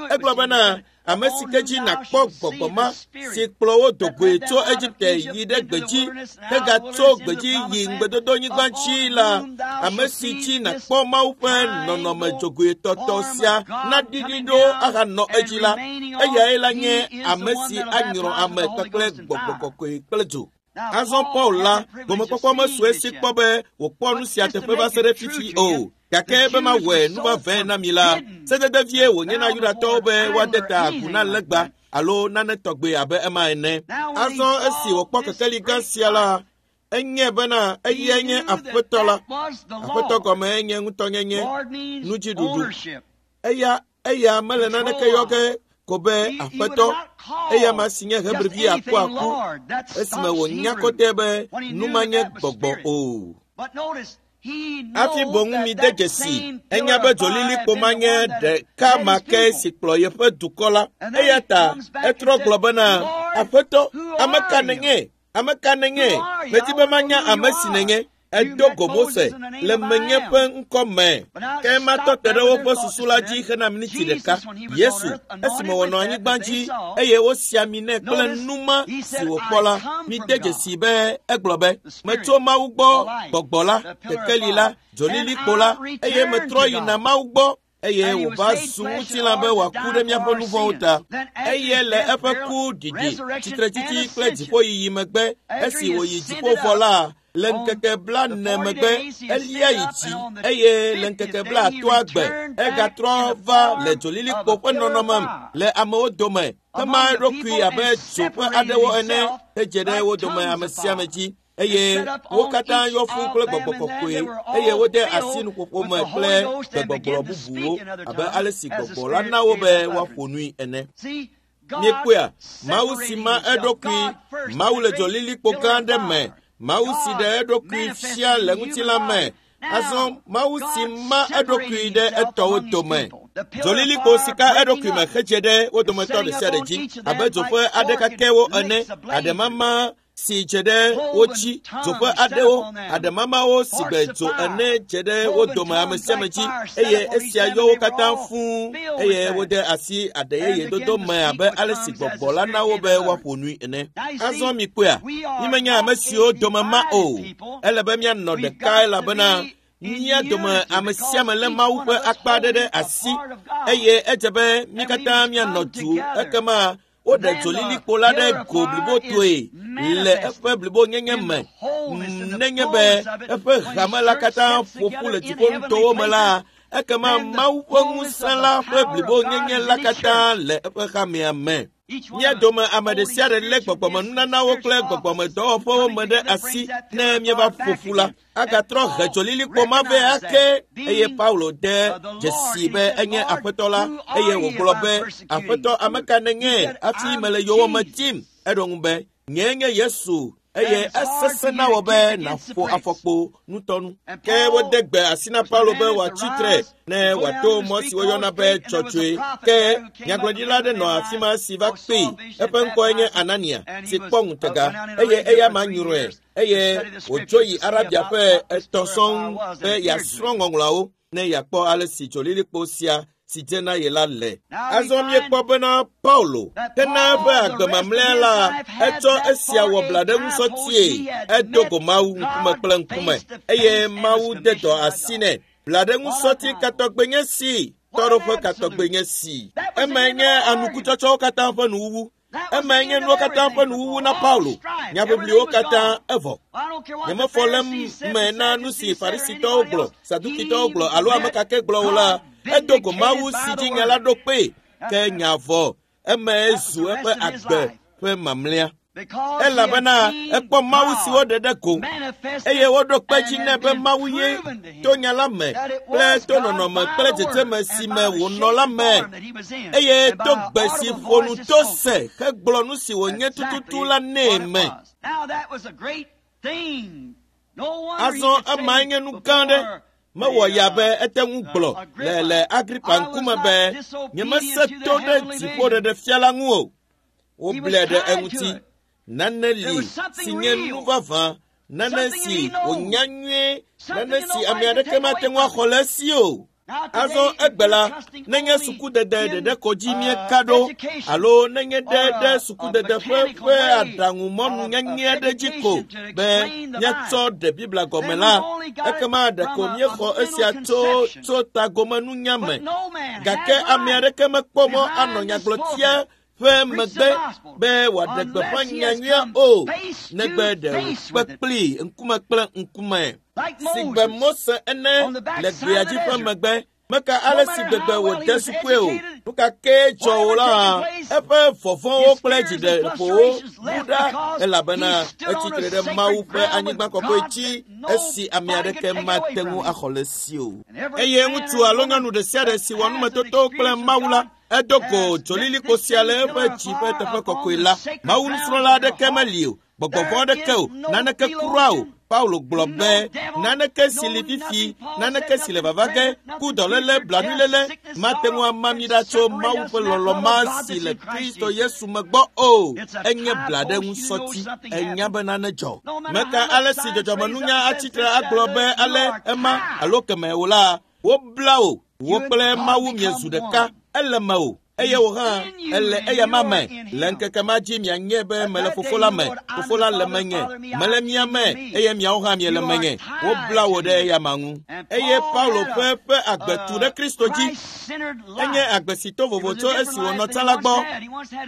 Egblɔ bena, ame si ke dzi nàkpɔ gbɔgbɔ ma si kplɔ wo do goe tso Egipte yi ɖe gbedzi hegatso gbedzi yi ŋugbedodonyigba dzi la, ame si dzi nàkpɔ Mawu ƒe nɔnɔme dzogoetɔtɔ sia naɖiɖi ɖo ahanɔ edzi la, eyae la nye ame si anyrɔ ame kpakple gbɔgbɔ kɔkɔe kple dzo. Azɔ Paul la, gomekpɔkpɔ mesu esi kpɔ be wòkpɔ nu sia teƒe va se ɖe fifi o. Gake be mawɔe nuvavɛe na mi la, sedede vie wònye na Yudatɔwo be woade ta agu na legba alo nane tɔgbe abe ema ene. Azɔ esi wòkpɔ kekeli gã sia la, enye bena eyae nye Aƒetɔ la. Aƒetɔ gɔme enye ŋutɔnyenye, nudziɖuɖu. Eya mele naneke yɔ ge ko be Aƒetɔ, eya ma si nye Hebrivi akuaku, esime wònya kɔtɛ be nu ma nye gbɔgbɔ o. Hafi boŋ mi de dzesi, enya be dzolilikpo ma nye ɖeka ma ke si kplɔ yeƒe dukɔ la. Eya ta etrɔ gblɔ bena, Aƒetɔ, ame ka nènye? Ame ka nènye? Medi be manya ame si nènye. Edo go Mose le menye ƒe ŋkɔ me. Ke matɔ te ɖe woƒe susu la dzi hena miniti ɖeka. Yesu, esime wònɔ anyigba dzi eye wosi ami nɛ kple numa si wòkpɔ la, mide dzesi be egblɔ be, metso Mawu gbɔ, gbɔgbɔ la, kekeli la, dzolilikpo la, eye metrɔ yina Mawu gbɔ. Eye wòva zu ŋutilã be wòaku ɖe míaƒe nu vɔ̃wo ta. Eye le eƒe ku ɖiɖi, tsitretsitsi kple dziƒoyiyi megbe, esi wòyi dziƒo vɔ la, le ŋkeke 40 megbe, elia yi dzi, eye le ŋkeke 80 gbe, egatrɔ va le dzolilikpo ƒe nɔnɔme le amewo dome, hema eɖokui abe dzo ƒe aɖewo ene, hedze ɖe wo dome ame sia ame dzi. Eye wo katã yɔ fũ kple gbɔgbɔ kɔkɔe, eye wode asi nuƒoƒo me kple gbegbɔgblɔ bubuwo abe ale si gbɔgbɔ la na wo be woaƒo nui ene. Míekpɔea, Mawu si ma eɖokui, Mawu le dzolilikpo gã aɖe me, Mawu si ɖe eɖokui fia le ŋutilã me. Azɔ Mawu si ma eɖokui ɖe etɔwo dome. Dzolilikpo si ka eɖokui me hedze ɖe wo dometɔ ɖe sia ɖe dzi abe dzo ƒe aɖe kakɛwo ene, aɖemama si dze ɖe wo dzi, dzo ƒe aɖewo, aɖemamawo si gbe dzo ene dze ɖe wo dome ame sia ame dzi, eye esia yɔ wo katã fũu, eye wode asi aɖe yeye dodo me abe ale si gbɔgbɔ la na wo be woaƒo nui ene. Azɔ mikpɔea, mímenye ame siwo dome ma o. Ele be míanɔ ɖeka elabena mía dome ame sia ame lé Mawu ƒe akpa aɖe ɖe asi, eye edze be mí katã míanɔ du ekema woɖe dzolilikpo la ɖe go blibotoe le eƒe blibonyenye me. Nenye be eƒe hame la katã ƒo ƒu le dziƒonutowo me la, ekema Mawu ƒe ŋusẽ la ƒe blibonyenye la katã le eƒe hamea me. Mía dome ame ɖe sia ɖe lé gbɔgbɔmenunanawo kple gbɔgbɔmedɔwɔƒewo me ɖe asi ne míeva ƒo ƒu la, agatrɔ he dzolilikpo ma vɛ ake. Eye Paulo de dzesi be enye Aƒetɔ la, eye wògblɔ be, Aƒetɔ, ame ka nènye hafi mele yowòme tim? Eɖo ŋu be, nyee nye Yesu, eye esesẽ na wò be nàƒo afɔkpo ŋutɔnu. Ke wode gbe asi na Paulo be wòatsi tre ne wòato mɔ si woyɔna be dzɔdzɔe. Ke nyagblɔɖila aɖe nɔ afi ma si va kpee. Eƒe ŋkɔe nye Anania, si kpɔ ŋutega, eye eya ma nyrɔe, eye wòdzo yi Arabia ƒe etɔ̃ sɔŋ be yeasrɔ̃ ŋɔŋlɔawo ne yeakpɔ ale si dzolilikpo sia si dze na ye la le. Azɔ míekpɔ bena Paulo hena eƒe agbe mamlɛa la, etsɔ esia wɔ blaɖeŋusɔtie. Edo go Mawu ŋkume kple ŋkume, eye Mawu de dɔ asi nɛ. Blaɖeŋusɔti katɔgbe nye si, tɔɖoƒe katɔgbe nye si. Emae nye anukutsɔtsɔwo katã ƒe nuwuwu. Emae nye nuwo katã ƒe nuwuwu na Paulo. Nyaʋiʋliwo katã evɔ. Nyemefɔ le me na nu si Farisitɔwo gblɔ, Sadukitɔwo gblɔ alo ame kakɛ gblɔ o la, edo go Mawu si dzi nya la ɖo kpee. Ke nya vɔ, emae zu eƒe agbe ƒe mamlɛa. Elabena ekpɔ Mawu si woɖe ɖe go, eye woɖo kpe dzi nɛ be Mawu ye to nya la me kple to nɔnɔme kple dzedzeme si me wònɔ la me, eye to gbe si ƒo nu to se hegblɔ nu si wònye tututu la nɛ me. Azɔ emae nye nu gã aɖe. Mewɔ ya be ete ŋu gblɔ le Agripa ŋkume be nyemese to ɖe dziƒoɖeɖefia la ŋu o. Woblae ɖe eŋuti. Nane li si nye nu vavã, nane si wònya nyuie, nane si ame aɖeke mate ŋu axɔ le esi o. Azɔ egbe la, nenye sukudede ɖeɖe ko dzi míeka ɖo alo nenye ɖe ɖe sukudede ƒe ƒe aɖaŋumɔnu nyanyɛ aɖe dzi ko be míatsɔ ɖe Biblia gɔme la, ekema ɖeko míexɔ esia tso tso tagomenunya me. Gake ame aɖeke mekpɔ mɔ anɔ nyagblɔtia ƒe megbe be wòaɖe gbeƒã nyanyuia o, negbe ɖe wòkpe kplii ŋkume kple ŋkume. Si gbe Mose ene le gbea dzi ƒe megbe, meka ale si gbegbe wòde sukue o, nu ka kee dzɔ o la, eƒe vɔvɔ̃wo kple dziɖeƒowo bu ɖa elabena etsitre ɖe Mawu ƒe anyigba kɔkɔe dzi esi ame aɖeke mate ŋu axɔ le esi o. Eye ŋutsu alo nyɔnu ɖe sia ɖe si wɔ numetoto kple Mawu la, edo go dzolilikpo sia le eƒe dzi ƒe teƒe kɔkɔe la. Mawu nusrɔ̃la aɖeke meli o, gbɔgbɔ vɔ̃ aɖeke o, naneke kura o. Paulo gblɔ be naneke si li fifi, naneke si le vava ge, ku dɔléle, blanuiléle, mate ŋu ama mi ɖa tso Mawu ƒe lɔlɔ̃ ma si le Kristo Yesu me gbɔ o. Enye blaɖeŋusɔti. Enya be nane dzɔ. Meka ale si dzɔdzɔmenunya atsitre agblɔ be ale ema alo keme o la, wobla wò, wò kple Mawu miezu ɖeka. Ele mewò eye wò hã ele eyama me. Le ŋkeke ma dzi mianye be mele Fofo la me, Fofo la le menye, mele mia me eye miawo hã miele menye. Wobla wò ɖe eyama ŋu. Eye Paulo ƒe ƒe agbe tu ɖe Kristo dzi. Enye agbe si to vovo tso esi wònɔ tsã la gbɔ.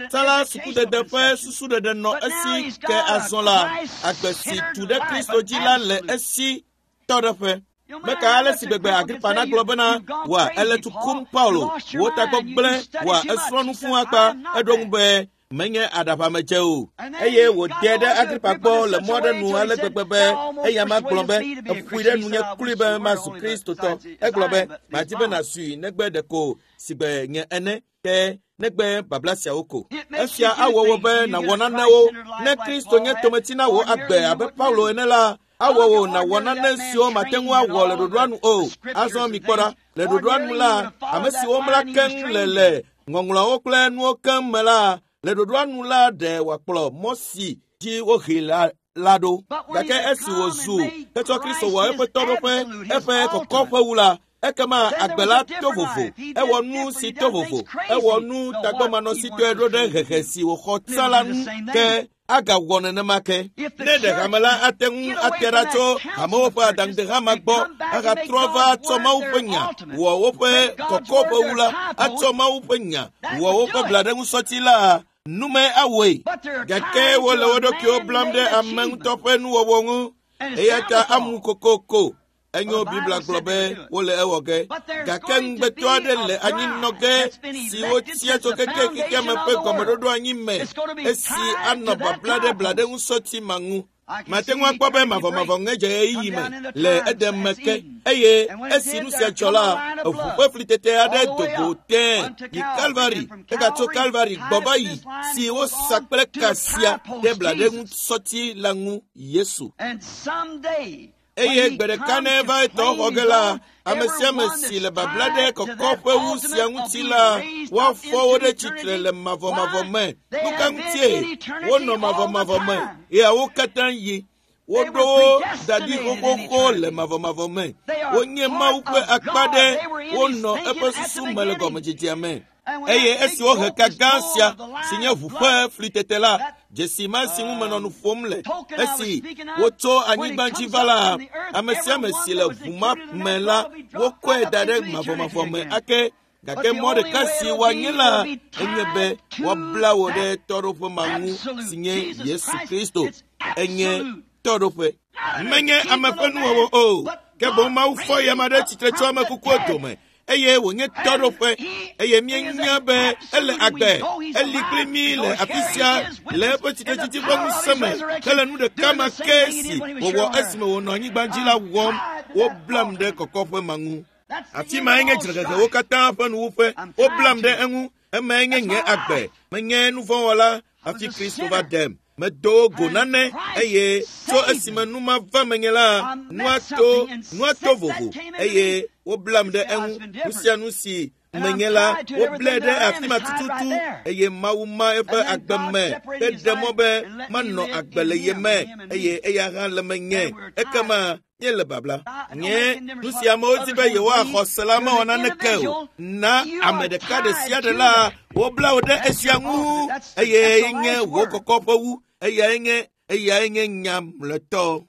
Tsã la sukudede ƒe susuɖeɖe nɔ esi ke azɔ la, agbe si tu ɖe Kristo dzi la le esi tɔɖeƒe. Meka ale si gbegbe Agripa nagblɔ bena, wòa ele tu kum Paulo, wò tagbɔ gblẽ, wòa esrɔ̃ nu fũu akpa. Eɖo ŋu be, menye aɖaʋamedze o. Eye wòde ɖe Agripa gbɔ le mɔ aɖe nu ale gbegbe be eya ma gblɔ be, eƒoe ɖe nunye klui be mazu Kristotɔ. Egblɔ be, madi be nàzui negbe ɖeko sigbe nye ene, ke negbe babla siawo ko. Esia awɔ wò be nàwɔ nanewo. Ne Kristo nye tometsi na wò agbe abe Paulo ene la, awɔ wò nàwɔ nane siwo mate ŋu awɔ le ɖoɖoa nu o. Azɔ mikpɔ ɖa, le ɖoɖoa nu la, ame siwo mla keŋ le le ŋɔŋlɔawo kple nuwo keŋ me la, le ɖoɖoa nu la ɖe wòakplɔ mɔ si dzi wohee la la ɖo. Gake esi wòzu hetsɔ Kristo wɔ eƒe tɔɖoƒe, eƒe kɔkɔƒe wu la, ekema agbe la to vovo. Ewɔ nu si to vovo. Ewɔ nu tagbɔmanɔsitɔe ɖo ɖe hehe si wòxɔ tsã la ŋu ke agawɔ nenema ke. Ne ɖe hame la ate ŋu ate ɖa tso hamewo ƒe aɖaŋudehama gbɔ ahatrɔ va atsɔ Mawu ƒe nya wɔ woƒe kɔkɔƒe wu la, atsɔ Mawu ƒe nya wɔ woƒe blaɖeŋusɔti la, nume awɔe. Gake wole wo ɖokuiwo blam ɖe ame ŋutɔ ƒe nuwɔwɔ ŋu. Eya ta amu kokoko. Enyo Biblia gblɔ be wole ewɔ ge. Gake ŋugbetɔ aɖe le anyinɔ ge si wotia tso keke xexeame ƒe gɔmeɖoɖo anyi me esi anɔ babla ɖe blaɖeŋusɔti ma ŋu. Mate ŋu akpɔ be mavɔmavɔ ŋe dze ɣeyiɣi me le edem me ke eye esi nu sia dzɔ la, eʋu ƒe flitete aɖe do go tẽe yi Kalvari egatso Kalvari gbɔ va yi si wosa kple ka sia ɖe blaɖeŋusɔti la ŋu Yesu. Eye gbe ɖeka ne eva etɔ xɔ ge la, ame sia ame si le babla ɖe kɔkɔƒe wu sia ŋuti la, woafɔ wo ɖe tsitre le mavɔmavɔ me. Nu ka ŋutie wonɔ mavɔmavɔ me? Ɣeawo katã yi. Woɖo wo da ɖi xoxoxo le mavɔmavɔ me. Wonye Mawu ƒe akpa ɖe, wonɔ eƒe susu me le gɔmedzedzea me. Eye esi wohe ka gã sia si nye ʋu ƒe flitete la, dzesi ma si ŋu menɔ nu ƒom le esi wotso anyigba dzi va la, ame sia ame si le ʋu ma me la, wokɔe da ɖe mavɔmavɔ me ake. Gake mɔ ɖeka si woanye la enye be woabla wò ɖe tɔɖoƒe ma ŋu si nye Yesu Kristo. Enye tɔɖoƒe. Menye ame ƒe nuwɔwɔ o, ke boŋ Mawu fɔ eyama ɖe tsitre tso ame kukuwo dome eye wònye tɔɖoƒe eye míenya be ele agbe, eli kpli mí le afi sia le eƒe tsitretsitsi ƒe ŋusẽ me hele nu ɖeka ma ke si wòwɔ esime wònɔ anyigba dzi la wɔm. Woblam ɖe kɔkɔƒe ma ŋu. Afi mae nye dzrehehewo katã ƒe nuwuƒe. Woblam ɖe eŋu. Emae nye nye agbe. Menye nuvɔ̃wɔla hafi Kristo va ɖem. Medo go nane eye tso esime nu ma va menye la, nua to vovo eye woblam ɖe eŋu. Nu sia nu si menye la, woblae ɖe afi ma tututu eye Mawu ma eƒe agbe me heɖe mɔ be manɔ agbe le ye me eye eya hã le menye. Ekema míele babla. Nye nu si amewo di be yewoaxɔ se la mewɔ naneke o. Na ame ɖeka ɖe sia ɖe la, wobla wo ɖe esia ŋu eye nye wò kɔkɔ ƒe wu. Eyae nye nya mlɔetɔ.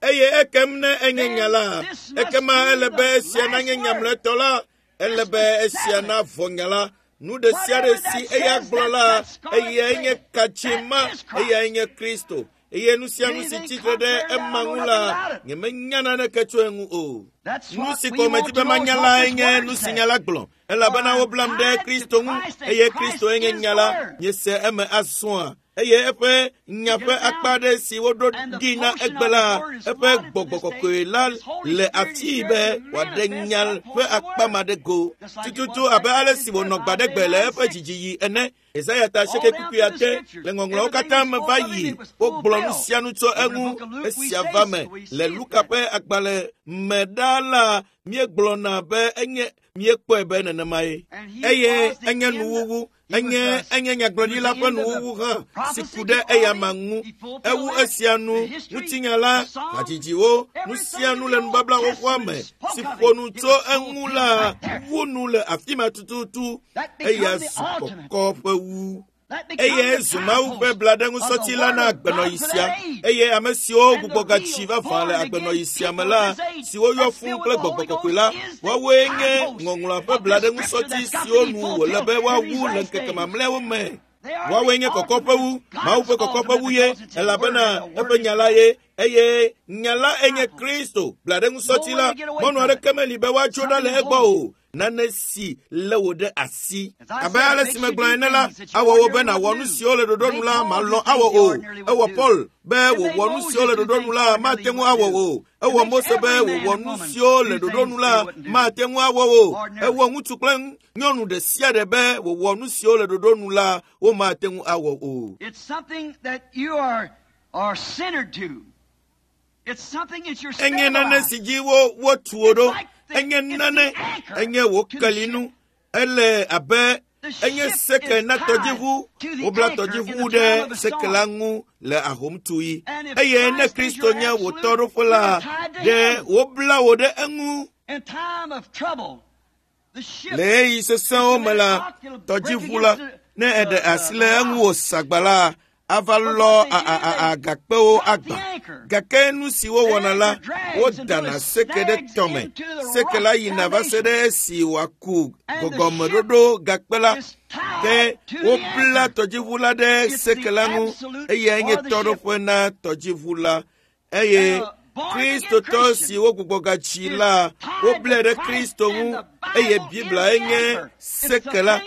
Eye ekem ne enye nya la, ekema ele be esia nanye nya mlɔetɔ la, ele be esia navɔ nya la. Nu ɖe sia ɖe si eya gblɔ la, eyae nye katsi ma, eyae nye Kristo. Eye nu sia nu si tsitre ɖe ema ŋu la, nyemenya naneke tso eŋu o. Nu si ko medi be manya lae nye nu si nya la gblɔ, elabena woblam ɖe Kristo ŋu eye Kristoe nye nya la. Miese eme azɔa? Eye eƒe nya ƒe akpa aɖe si woɖo ɖi na egbe la, eƒe gbɔgbɔ kɔkɔe la le afii be wòaɖe nya ƒe akpa ma ɖe go. Tututu abe ale si wònɔ gbaɖegbe le eƒe dzidziɣi ene. Yesaya ta asieke kpukpui ade le ŋɔŋlɔawo katã me va yi. Wogblɔ nu sia nu tso eŋu. Esia va me le Luka ƒe agbalẽ me ɖaa la, míegblɔna be enye míekpɔe be nenemae. Eye enye nuwuwu. Enye nyagblɔɖila ƒe nuwuwu hã si ku ɖe eyama ŋu. Ewu esia nu, ŋutinya la, hadzidziwo, nu sia nu le nubabla xoxoa me si ƒo nu tso eŋu la wu nu le afi ma tututu. Eya zu kɔkɔ ƒe wu. Eye zu Mawu ƒe blaɖeŋusɔti la na agbenɔɣi sia. Eye ame siwo gbugbɔgatsi vavã le agbenɔɣi sia me la, siwo yɔ fũu kple gbɔgbɔ kɔkɔe la, woawoe nye ŋɔŋlɔa ƒe blaɖeŋusɔti siwo nu wòle be woawu le ŋkeke mamlɛawo me. Woawoe nye kɔkɔ ƒe wu, Mawu ƒe kɔkɔ ƒe wu ye, elabena eƒe nya la ye. Eye nya la enye Kristo, blaɖeŋusɔti la. Mɔnu aɖeke meli be woatso ɖa le egbɔ o. Nane si lé wò ɖe asi. Abe ale si megblɔ ene la, awɔ wò be nàwɔ nu siwo le ɖoɖo nu la malɔ̃ awɔ o. Ewɔ Paul be wòwɔ nu siwo le ɖoɖo nu la mate ŋu awɔ o. Ewɔ Mose be wòwɔ nu siwo le ɖoɖo nu la mate ŋu awɔ o. Ewɔ ŋutsu kple nyɔnu ɖe sia ɖe be wòwɔ nu siwo le ɖoɖo nu la womate ŋu awɔ o. Enye nane si dzi wotu wo ɖo. Enye nane, enye wò kelinu. Ele abe enye seke na tɔdziʋu. Wobla tɔdziʋu ɖe seke la ŋu le ahomtuɣi. Eye ne Kristo nye wò tɔɖoƒe la, ɖe wobla wò ɖe eŋu. Le ɣeyiɣi sesẽwo me la, tɔdziʋu la, ne eɖe asi le eŋu wòsagba la, ava lɔ agakpewo agba. Gake nu si wowɔna la, wodana seke ɖe tɔme. Seke la yina va se ɖe esi wòaku gɔgɔmeɖoɖo gakpe la. Ke wobla tɔdziʋu la ɖe seke la ŋu eyae nye tɔɖoƒe na tɔdziʋu la. Eye Kristotɔ si wogbugbɔgatsi la, woblae ɖe Kristo ŋu eye Biblia enye seke la.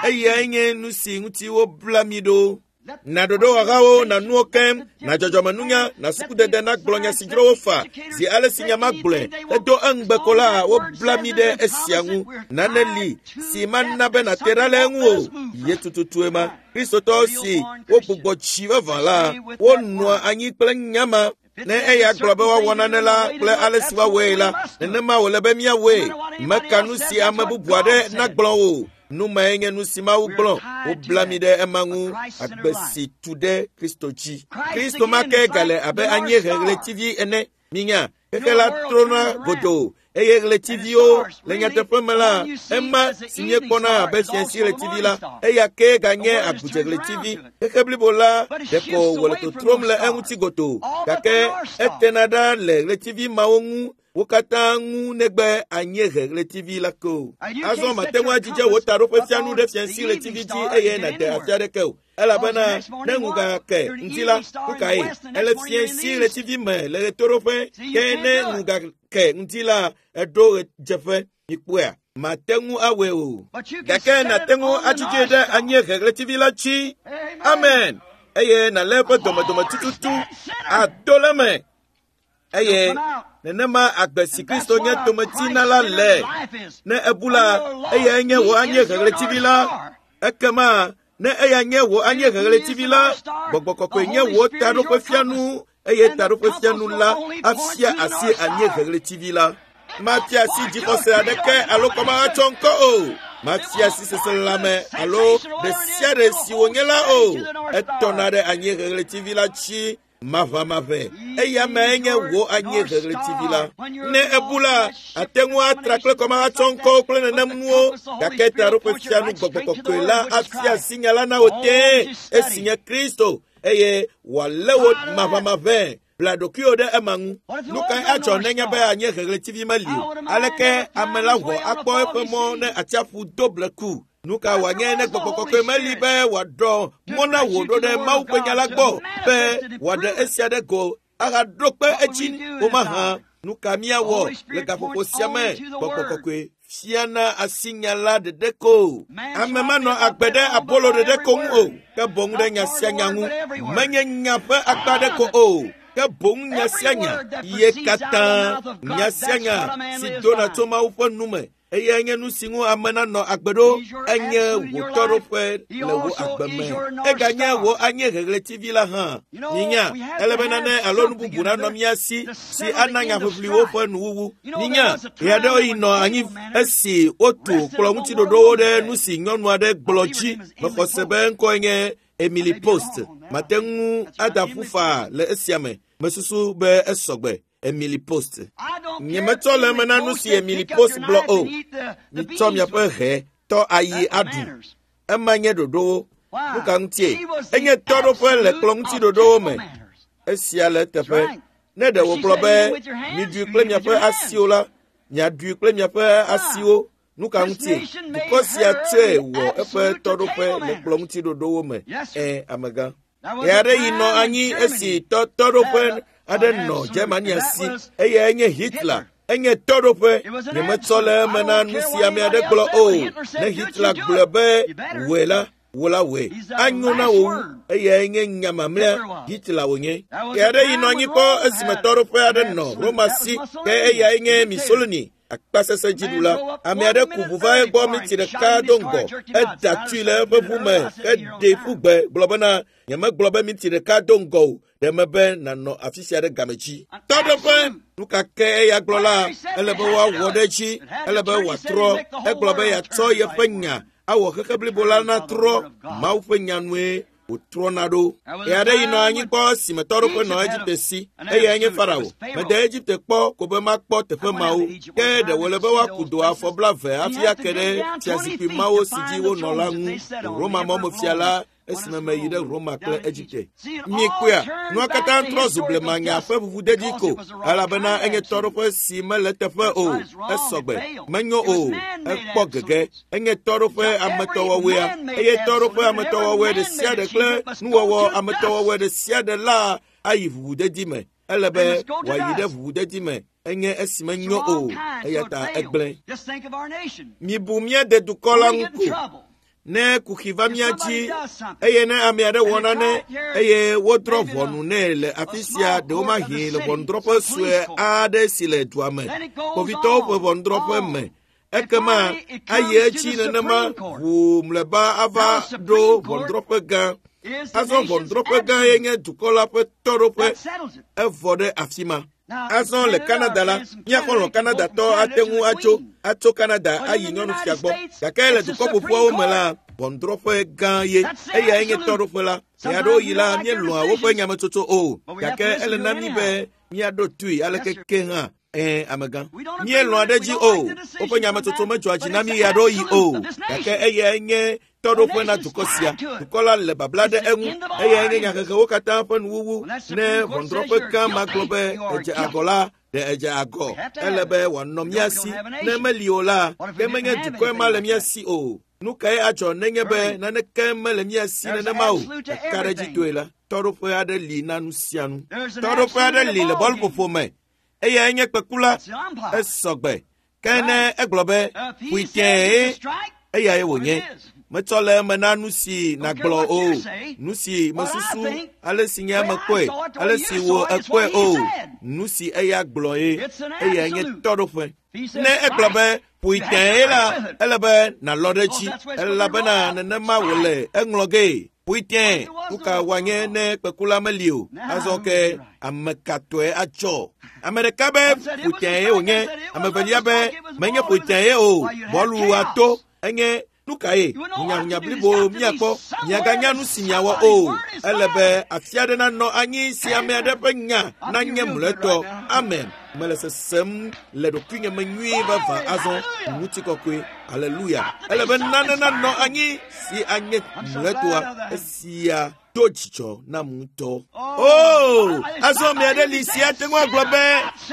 Eyae nye nu si ŋuti wobla mi ɖo. Na ɖoɖowɔhawo, na nuwo keŋ, na dzɔdzɔmenunya, na sukudede nagblɔ nya si dzro wo fa. Zi ale si nya ma gblɔe, edo eŋugbe ko la, wobla mi ɖe esia ŋu. Nane li si mana be nàte ɖa le eŋu o. Ye tututue ma. Kristotɔ si wogbugbɔ tsi vavã la, wonɔa anyi kple nya ma. Ne eya gblɔ be woawɔ nane la kple ale si woawɔe la, nenema wòle be míawɔe. Meka nu si ame bubu aɖe nagblɔ o. Nu mae nye nu si Mawu gblɔ. Wobla mi ɖe ema ŋu, agbe si tu ɖe Kristo dzi. Kristo ma ke gale abe anyiehe ɣletivi ene. Minya, xexe la trɔna godoo eye ɣletiviwo le nyateƒe me la, ema si míekpɔna abe fiasi ɣletivi la, eya ke ganye agbudze ɣletivi. Xexe blibo la ɖeko wòle totrom le eŋuti godoo, gake etena ɖa le ɣletivi mawo ŋu. Wo katã ŋu negbe anyiehe ɣletivi la ke o. Azɔ mate ŋu adzidze wò taɖoƒefianu ɖe fiasi ɣletivi dzi eye nàde afi aɖeke o. Elabena ne ŋu gake ŋdi la, nu kae? Ele fiasi ɣletivi me le ɣetoɖoƒe, ke ne ŋu gake ŋdi la, eɖo ɣedzeƒe. Mikpɔea? Mate ŋu awɔe o. Gake nàte ŋu adzidzee ɖe anyiehe ɣletivi la dzi. Amen. Eye nàlé eƒe domedome tututu ado le eme. Eye nenema agbe si Kristo nye dometina la le. Ne ebu la, eyae nye wò anyiehe ɣletivi la. Ekema Ne eya nye wò anyieheɣletivi la, Gbɔgbɔ Kɔkɔe nye wò taɖoƒefianu eye taɖoƒefianu la afia asi anyieheɣletivi la. Mafia asi dzixɔse aɖeke alo kɔmahatsɔ ŋkɔ o. Mafia asi seselelãme alo ɖe sia ɖe si wònye la o. Etɔna ɖe anyieheɣletivi la dzi maʋamaʋẽ. Eya mae nye wò anyieheɣletivi la. Ne ebu la, ate ŋu atra kple kɔmahatsɔ ŋkɔwo kple nenem nuwo, gake taɖoƒefianu Gbɔgbɔ Kɔkɔe la afia asi nya la na wò tẽe, esi nye Kristo, eye wòalé wò maʋamaʋẽ. Bla ɖokuiwò ɖe ema ŋu. Nu kae adzɔ nenye be anyieheɣletivi meli o? Aleke ame la wɔ akpɔ eƒe mɔ ne atsiaƒu do bleku? Nu ka wòanye ne Gbɔgbɔ Kɔkɔe meli be wòaɖɔ mɔ na wò ɖo ɖe Mawu ƒe nya la gbɔ be wòaɖe esia ɖe go ahaɖo kpe edzi o mahã? Nu ka míawɔ le gaƒoƒo sia me? Gbɔgbɔ Kɔkɔe fiana asi nya la ɖeɖe ko. Ame manɔ agbe ɖe abolo ɖeɖe ko ŋu o, ke boŋ ɖe nya sia nya ŋu. Menye nya ƒe akpa ɖe ko o, ke boŋ nya sia nya ye katã. Nya sia nya si dona tso Mawu ƒe nu me, eyae nye nu si ŋu ame nanɔ agbe ɖo. Enye wò tɔɖoƒe le wò agbe me. Eganye wò anyieheɣletivi la hã. Minya, ele be nane alo nu bubu nanɔ mía si si ana nyaʋiʋliwo ƒe nuwuwu. Minya, ɣeaɖewoɣi nɔ anyi esi wotu kplɔ̃ŋutiɖoɖowo ɖe nu si nyɔnu aɖe gblɔ dzi. Mexɔ se be ŋkɔe nye Emily Post. Mate ŋu ada ƒu faa le esia me. Mesusu be esɔgbe. Emily Post. Nyemetsɔ le eme na nu si Emily Post gblɔ o. Mitsɔ miaƒe hɛ tɔ ayi aɖu. Ema nye ɖoɖowo. Nu ka ŋutie? Enye tɔɖoƒe le kplɔ̃ŋutiɖoɖowo me. Esia le eteƒe. Ne ɖe wògblɔ be miɖui kple miaƒe asiwo la, miaɖui kple miaƒe asiwo. Nu ka ŋutie? Dukɔ sia tsɔe wɔ eƒe tɔɖoƒe le kplɔ̃ŋutiɖoɖowo me. Ẽ, amegã. Ɣeaɖeɣi nɔ anyi esi tɔɖoƒe aɖe nɔ Germania si, eyae nye Hitler. Enye tɔɖoƒe. Nyemetsɔ le eme na nu si ame aɖe gblɔ o. Ne Hitler gblɔ be wòe la, wò la wòe. Anyo na wò wu. Eyae nye nya mamlɛa. Hitler wònye. Ɣeaɖeɣi nɔ anyi kpɔ esime tɔɖoƒe aɖe nɔ Roma si, ke eyae nye Mussolini, akpasesẽ dziɖula. Ame aɖe ku ʋu va egbɔ minti ɖeka do ŋgɔ. Eda tui le eƒe ʋu me heɖee ƒu gbe gblɔ bena, nyemegblɔ be minti ɖeka do ŋgɔ o, ɖe mebe nànɔ afi sia ɖe game dzi. Tɔɖoƒe, nu ka ke eya gblɔ la, ele be woawɔ ɖe edzi, ele be wòatrɔ. Egblɔ be yeatsɔ yeƒe nya awɔ xexe blibo la natrɔ. Mawu ƒe nya nue wòtrɔna ɖo. Ɣeaɖeɣi nɔ anyi kpɔ esime tɔɖoƒe nɔ Egipte si, eyae nye Farao. Mede Egipte kpɔ ko be makpɔ teƒe mawo. Ke ɖe wòle be woaku do afɔ 20 hafi ake ɖe fiazikpui mawo si dzi wonɔ la ŋu. Roma mɔmefia la esime meyi ɖe Roma kple Egipte. Mikpɔea, nua katã trɔ zu blemanya ƒe ʋuʋudedi ko, elabena enye tɔɖoƒe si mele eteƒe o. Esɔgbe, menyo o, ekpɔ gege. Enye tɔɖoƒe ametɔwɔwɔea, eye tɔɖoƒe ametɔwɔwɔe ɖe sia ɖe kple nuwɔwɔ ametɔwɔwɔe ɖe sia ɖe la ayi ʋuʋudedi me. Ele be wòayi ɖe ʋuʋudedi me. Enye esi menyo o, eya ta egblẽ. Mibu mía dedukɔ la ŋu ko. Ne kuxi va mía dzi, eye ne ame aɖe wɔ nane, eye wodrɔ̃ ʋɔnu nɛ le afi sia, ɖewomahi le ʋɔnudrɔ̃ƒe sue aɖe si le dua me, kpovitɔwo ƒe ʋɔnudrɔ̃ƒe me, ekema ayi edzi nenema ʋuu mlɔeba ava ɖo ʋɔnudrɔ̃ƒe gã. Azɔ ʋɔnudrɔ̃ƒe gã ye nye dukɔ la ƒe tɔɖoƒe, evɔ ɖe afi ma. Azɔ le Canada la, mía xɔlɔ̃ Canadatɔ ate ŋu atso Canada ayi nyɔnufia gbɔ. Gake le dukɔ ƒoƒuawo me la, ʋɔnudrɔ̃ƒe gã ye, eyae nye tɔɖoƒe la. Ɣeaɖewoɣi la, míelɔ̃a woƒe nyametsotso o, gake ele na mí be míaɖo toe aleke ke hã. Ẽ, amegã. Míelɔ̃a ɖe edzi o. Woƒe nyametsotso medzɔa dzi na mí ɣeaɖewoɣi o, gake eyae nye tɔɖoƒe na dukɔ sia. Dukɔ la le babla ɖe eŋu. Eyae nye nyahehewo katã ƒe nuwuwu. Ne ʋɔnudrɔ̃ƒe gã ma gblɔ be edze agɔ la, ɖe edze agɔ. Ele be wòanɔ mía si. Ne meli o la, ke menye dukɔe ma le mía si o. Nu kae adzɔ nenye be naneke mele mía si nenema o? Kakaɖedzitɔe la, tɔɖoƒe aɖe li na nu sia nu. Tɔɖoƒe aɖe li le bɔluƒoƒo me. Eyae nye kpekula. Esɔgbe. Ke ne egblɔ be ƒui tẽe, eyae wònye. Metsɔ le eme na nu si nàgblɔ o, nu si mesusu, ale si nye ame kpɔe, ale si wò ekpɔe o, nu si eya gblɔ ye, eyae nye tɔɖoƒe. Ne egblɔ be ƒoe tẽe la, ele be nàlɔ ɖe edzi elabena nenema wòle eŋlɔ gee. Ƒoe tẽe, nu ka wòanye ne kpekula meli o? Azɔ ke ame ka tɔe adzɔ? Ame ɖeka be ƒoe tẽe wònye, ame evelia be menye ƒoe tẽe o, bɔlu ato enye nu kae hunyahunya blibo míakpɔ miaganya nu si miawɔ o ele be afi aɖe nanɔ anyi si ame aɖe ƒe nya nanye mlɔetɔ amen mele sesem le ɖokuinye me nyuie vavã azɔ ŋutikɔkɔe aleluya ele be nane nanɔ anyi si anye mlɔetɔa esia do dzidzɔ nam ŋutɔ. O, azɔ ame aɖe li si ate ŋu agblɔ be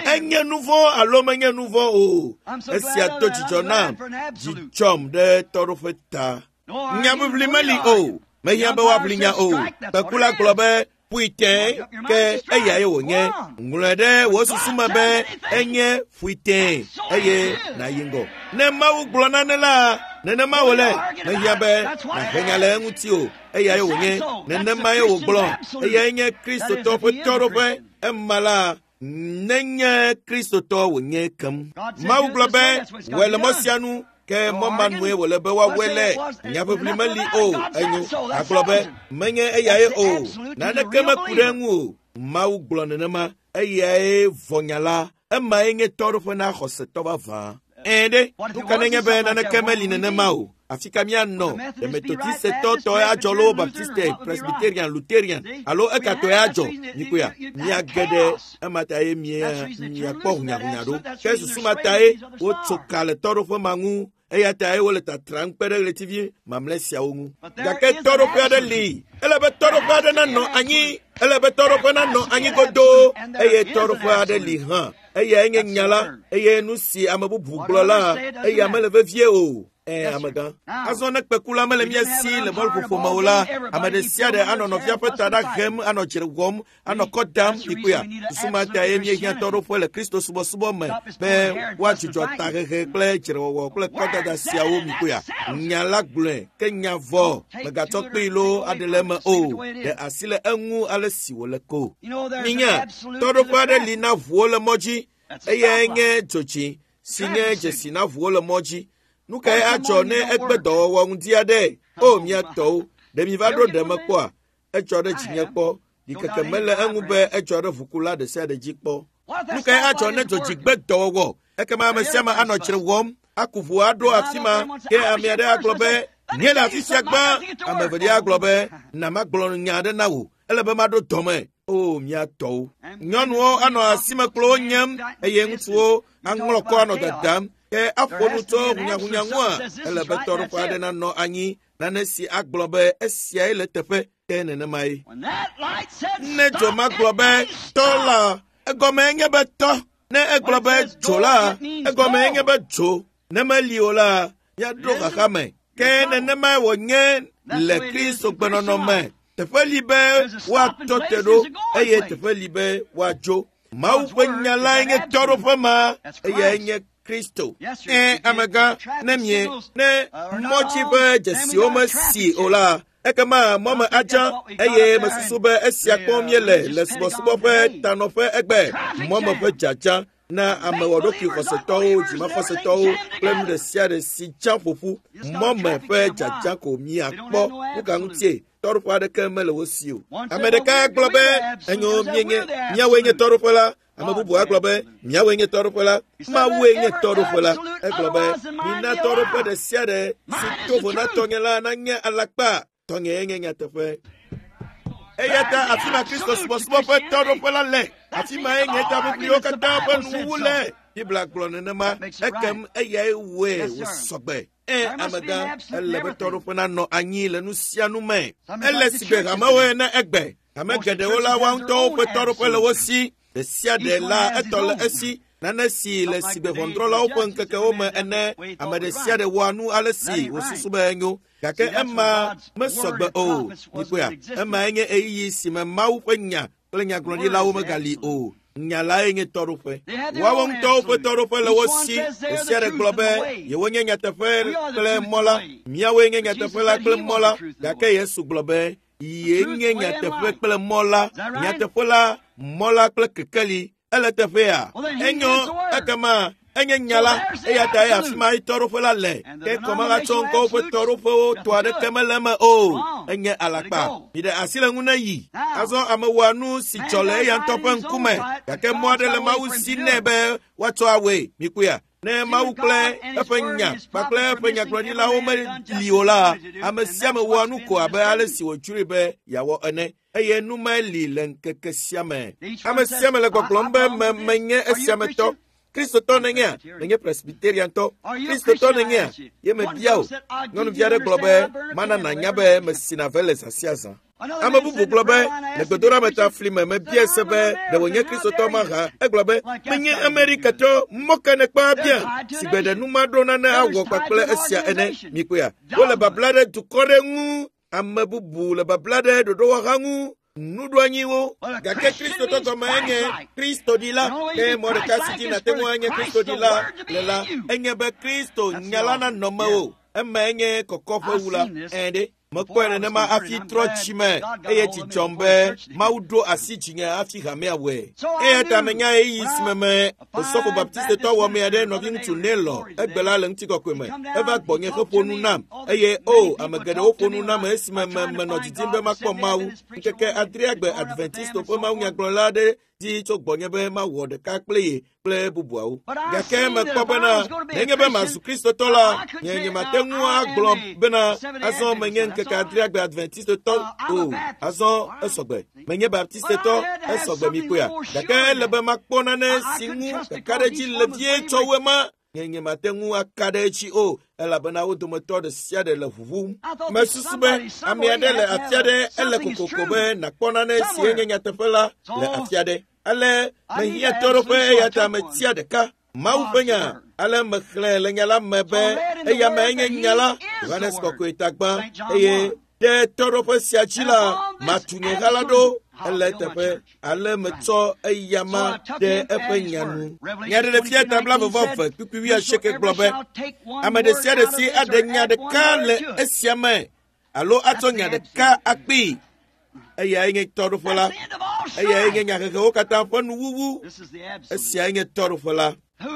enye nu vɔ̃ alo menye nu vɔ̃ o. Esia do dzidzɔ nam, dzi dzɔm ɖe tɔɖoƒe ta. Nyaʋiʋli meli o, mehiã be woaʋli nya o. Kpekula gblɔ be ƒoe tẽe ke eyae wònye. Ŋlɔe ɖe wò susu me be enye ƒoe tẽe eye nàyi ŋgɔ. Ne Mawu gblɔ nane la, nenema wòle. Mehiã be nàhe nya le eŋuti o. Eyae wònye, nenemae wògblɔ. Eyae nye Kristotɔ ƒe tɔɖoƒe. Ema la, nenye Kristotɔ wònye kem. Mawu gblɔ be, wɔe le mɔ sia nu, ke mɔ ma nue wòle be woawɔe le. Nyaʋiʋli meli o, enyo. Agblɔ be, menye eyae o. Naneke meku ɖe eŋu o. Mawu gblɔ nenema. Eyae vɔ nya la. Emae nye tɔɖoƒe na xɔsetɔ vavã. Ɛ̃ ɖe, nu ka nenye be naneke meli nenema o? Afi ka míanɔ? Ɖe Metodistetɔ tɔe adzɔ loo Baptiste, Presbyterian, Lutherian alo ekatɔe adzɔ? Mikpɔea, miage ɖe ema ta ye mia miakpɔ hunyahunya ɖo. Ke susu ma tae wotso ka le tɔɖoƒe ma ŋu eya tae wole tatram kpe ɖe ɣletivi mamlɛ siawo ŋu. Gake tɔɖoƒe aɖe li. Ele be tɔɖoƒe aɖe nanɔ anyi. Ele be tɔɖoƒe nanɔ anyi godoo eye tɔɖoƒe aɖe li hã. Eyae nye nya la eye nu si ame bubu gblɔ la eya mele vevie o. Ẽ, amegã. Azɔ ne kpekula mele mía si le bɔlƒoƒo me o la, ame ɖe sia ɖe anɔ nɔvia ƒe ta ɖa hem, anɔ dzre wɔm, anɔ kɔ dam mikpɔea. Susu ma tae míehiã tɔɖoƒe le Kristo subɔsubɔ me be woadzudzɔ tahehe kple dzrewɔwɔ kple kɔdada siawo mikpɔea. Nya la gblɔe ke nya vɔ mègatsɔ kpee loo aɖe le eme o. Ɖe asi le eŋu ale si wòle ko. Minya, tɔɖoƒe aɖe li na ʋuwo le mɔ dzi. Eyae nye dzotsi si nye dzesi na ʋuwo le mɔ dzi. Nu kae adzɔ ne egbe dɔwɔwɔ ŋdi aɖe? O, mía tɔwo, ɖe miva ɖo ɖe me kpɔa? Edzɔ ɖe dzinye kpɔ. Ɖikeke mele eŋu be edzɔ ɖe ʋukula ɖe sia ɖe dzi kpɔ. Nu kae adzɔ ne dzodzi gbe dɔwɔwɔ? Ekema ame sia ame anɔ dzre wɔm, aku ʋu aɖo afi ma. Ke ame aɖe agblɔ be, míele afi sia gbã. Ame evelia agblɔ be, na magblɔ nya aɖe na wò. Ele be maɖo dɔme. O, mía tɔwo. Nyɔnuwo anɔ asimekplowo nyem eye ŋutsuwo aŋlɔ kɔ anɔ dadam. Ke aƒo nu tso hunyahunya ŋua, ele be tɔɖoƒe aɖe nanɔ anyi, nane si agblɔ be esiae le teƒe, ke nenemae. Ne dzo ma gblɔ be tɔ la, egɔmee nye be tɔ. Ne egblɔ be dzo la, egɔmee nye be dzo. Ne meli o la, míaɖo xaxa me. Ke nenemae wònye le Kristo gbenɔnɔ me. Teƒe li be woatɔ te ɖo eye teƒe li be woadzo. Mawu ƒe nya lae nye tɔɖoƒe ma, eyae nye Kristo. Ẽ, amegã, ne mie, ne mɔtsi ƒe dzesiwo mesi o la, ekema mɔ me adza eye mesusu be esia kpɔm míele le subɔsubɔ ƒe tanɔƒe egbe. Mɔ me ƒe dzadza na ame wɔɖokui xɔsetɔwo, dzimaxɔsetɔwo kple nu ɖe sia ɖe si dza ƒoƒu. Mɔ me ƒe dzadza ko miakpɔ. Nu ka ŋutie? Tɔɖoƒe aɖeke mele wo si o. Ame ɖeka gblɔ be, enyo míenye, míawoe nye tɔɖoƒe la. Ame bubu agblɔ be, míawoe nye tɔɖoƒe la. Mawue nye tɔɖoƒe la. Egblɔ be, mina tɔɖoƒe ɖe sia ɖe si to vo na tɔnye la nanye alakpa. Tɔnye nye nyateƒe. Eya ta afi ma Kristo subɔsubɔ ƒe tɔɖoƒe la le. Afi mae nye taʋiʋliwo katã ƒe nuwuwu le. Biblia gblɔ nenema. Ekem eyae wɔe wòsɔgbe. Ẽ, amegã, ele be tɔɖoƒe nanɔ anyi le nu sia nu me. Ele si be hamewo ene egbe. Hame geɖewo la, woa ŋutɔwo ƒe tɔɖoƒe le wo si. Ɖe sia ɖe la, etɔ le esi. Nane si le si be ʋɔnudrɔ̃lawo ƒe ŋkekewo me ene. Ame ɖe sia ɖe wɔa nu ale si wòsusu be enyo. Gake ema mesɔgbe o. Mikpɔea, emae nye ɣeyiɣi si me Mawu ƒe nya kple nyagblɔɖilawo megali o. Nya lae nye tɔɖoƒe. Woawo ŋutɔwo ƒe tɔɖoƒe le wo si. Ɖe sia ɖe gblɔ be yewonye nyateƒe kple mɔ la. Míawoe nye nyateƒe la kple mɔ la. Gake Yesu gblɔ be ye nye nyateƒe kple mɔ la. Nyateƒe la, mɔ la kple kekeli. Ele teƒea. Enyo ekema enye nya la eya ta ye afi ma tɔɖoƒe la le. Ke kɔmahatsɔ ŋkɔwo ƒe tɔɖoƒewo tɔ aɖeke mele eme o. Enye alakpa. Miɖe asi le ŋu ne yi. Azɔ ame wɔa nu si dzɔ le eya ŋutɔ ƒe ŋkume gake mɔ aɖe le Mawu si nɛ be woatsɔ awɔe. Mikpɔea? Ne Mawu kple eƒe nya kpakple eƒe nyagblɔɖilawo meli o la, ame sia ame wɔa nu ko abe ale si wòdzroe be yeawɔ ene. Eye nu mae li le ŋkeke sia me. Ame sia ame le gbɔgblɔm be me menye esia me tɔ. Kristotɔ nènyea? Menye Presbyteriantɔ. Kristotɔ nènyea? Ye mebia o. Nyɔnuvi aɖe gblɔ be mana nànya be mesina ve le zã sia zã. Ame bubu gblɔ be le gbedoɖa ta fli me mebiae se be ɖe wònye Kristotɔ mahã. Egblɔ be menye Amerikatɔ mɔ ke nèkpɔ abia si gbe ɖe nu ma ɖo nane awɔ kpakple esia ene. Mikpɔea? Wole babla ɖe dukɔ ɖe ŋu. Ame bubu le babla ɖe ɖoɖowɔha ŋu. Nuɖoanyiwo. Gake Kristotɔ gɔme enye Kristoɖila. Ke mɔ ɖeka si dzi nàte ŋu anye Kristoɖila le la, enye be Kristo nya la nanɔ mewò. Ema enye kɔkɔƒewu la. Ẽ ɖe. Mekpɔe nenema hafi trɔ dzime eye dzi dzɔm be Mawu ɖo asi dzinye hafi hamea wɔe. Eya ta menya ɣeyiɣi si me me Osɔfo Baptistetɔ wɔmee aɖe nɔviŋutsu Nelɔ egbe la le ŋutikɔkɔe me. Eva gbɔnye heƒo nu nam eye o ame geɖewo ƒo nu nam esime me menɔ didim be makpɔ Mawu. Ŋkeke adrea gbe Adventisto ƒe mawunyagblɔla aɖe di tso gbɔnye be mawɔ ɖeka kple ye kple bubuawo. Gake mekpɔ bena nenye be mazu Kristotɔ la, nye nyemate ŋu agblɔ bena azɔ menye ŋkeke adrea gbe Adventistotɔ o. Azɔ esɔgbe. Menye Baptistetɔ, esɔgbe mikpɔea. Gake ele be makpɔ nane si ŋu kakaɖedzi le vie tsɔ wu ema. Nye nyemate ŋu aka ɖe edzi o elabena wo dometɔ ɖe sia ɖe le ʋuʋum. Mesusu be ame aɖe le afi aɖe ele kokoko be nàkpɔ nane si enye nyateƒe la le afi aɖe. Ale mehiã tɔɖoƒe eya ta metia ɖeka. Mawu ƒe nya. Ale mexlẽ le nya la me be eya me enye nya la. Yohanes Kɔkɔe ta gbã eye ɖe tɔɖoƒe sia dzi la matu nye ha la ɖo ele teƒe. Ale metsɔ eya ma ɖe eƒe nya nu. Nyaɖeɖefia ta 22 kpukpui 80 gblɔ be ame ɖe sia ɖe si aɖe nya ɖeka le esia me alo atsɔ nya ɖeka akpee. Eyae nye tɔɖoƒe la. Eyae nye nyahehewo katã ƒe nuwuwu. Esiae nye tɔɖoƒe la.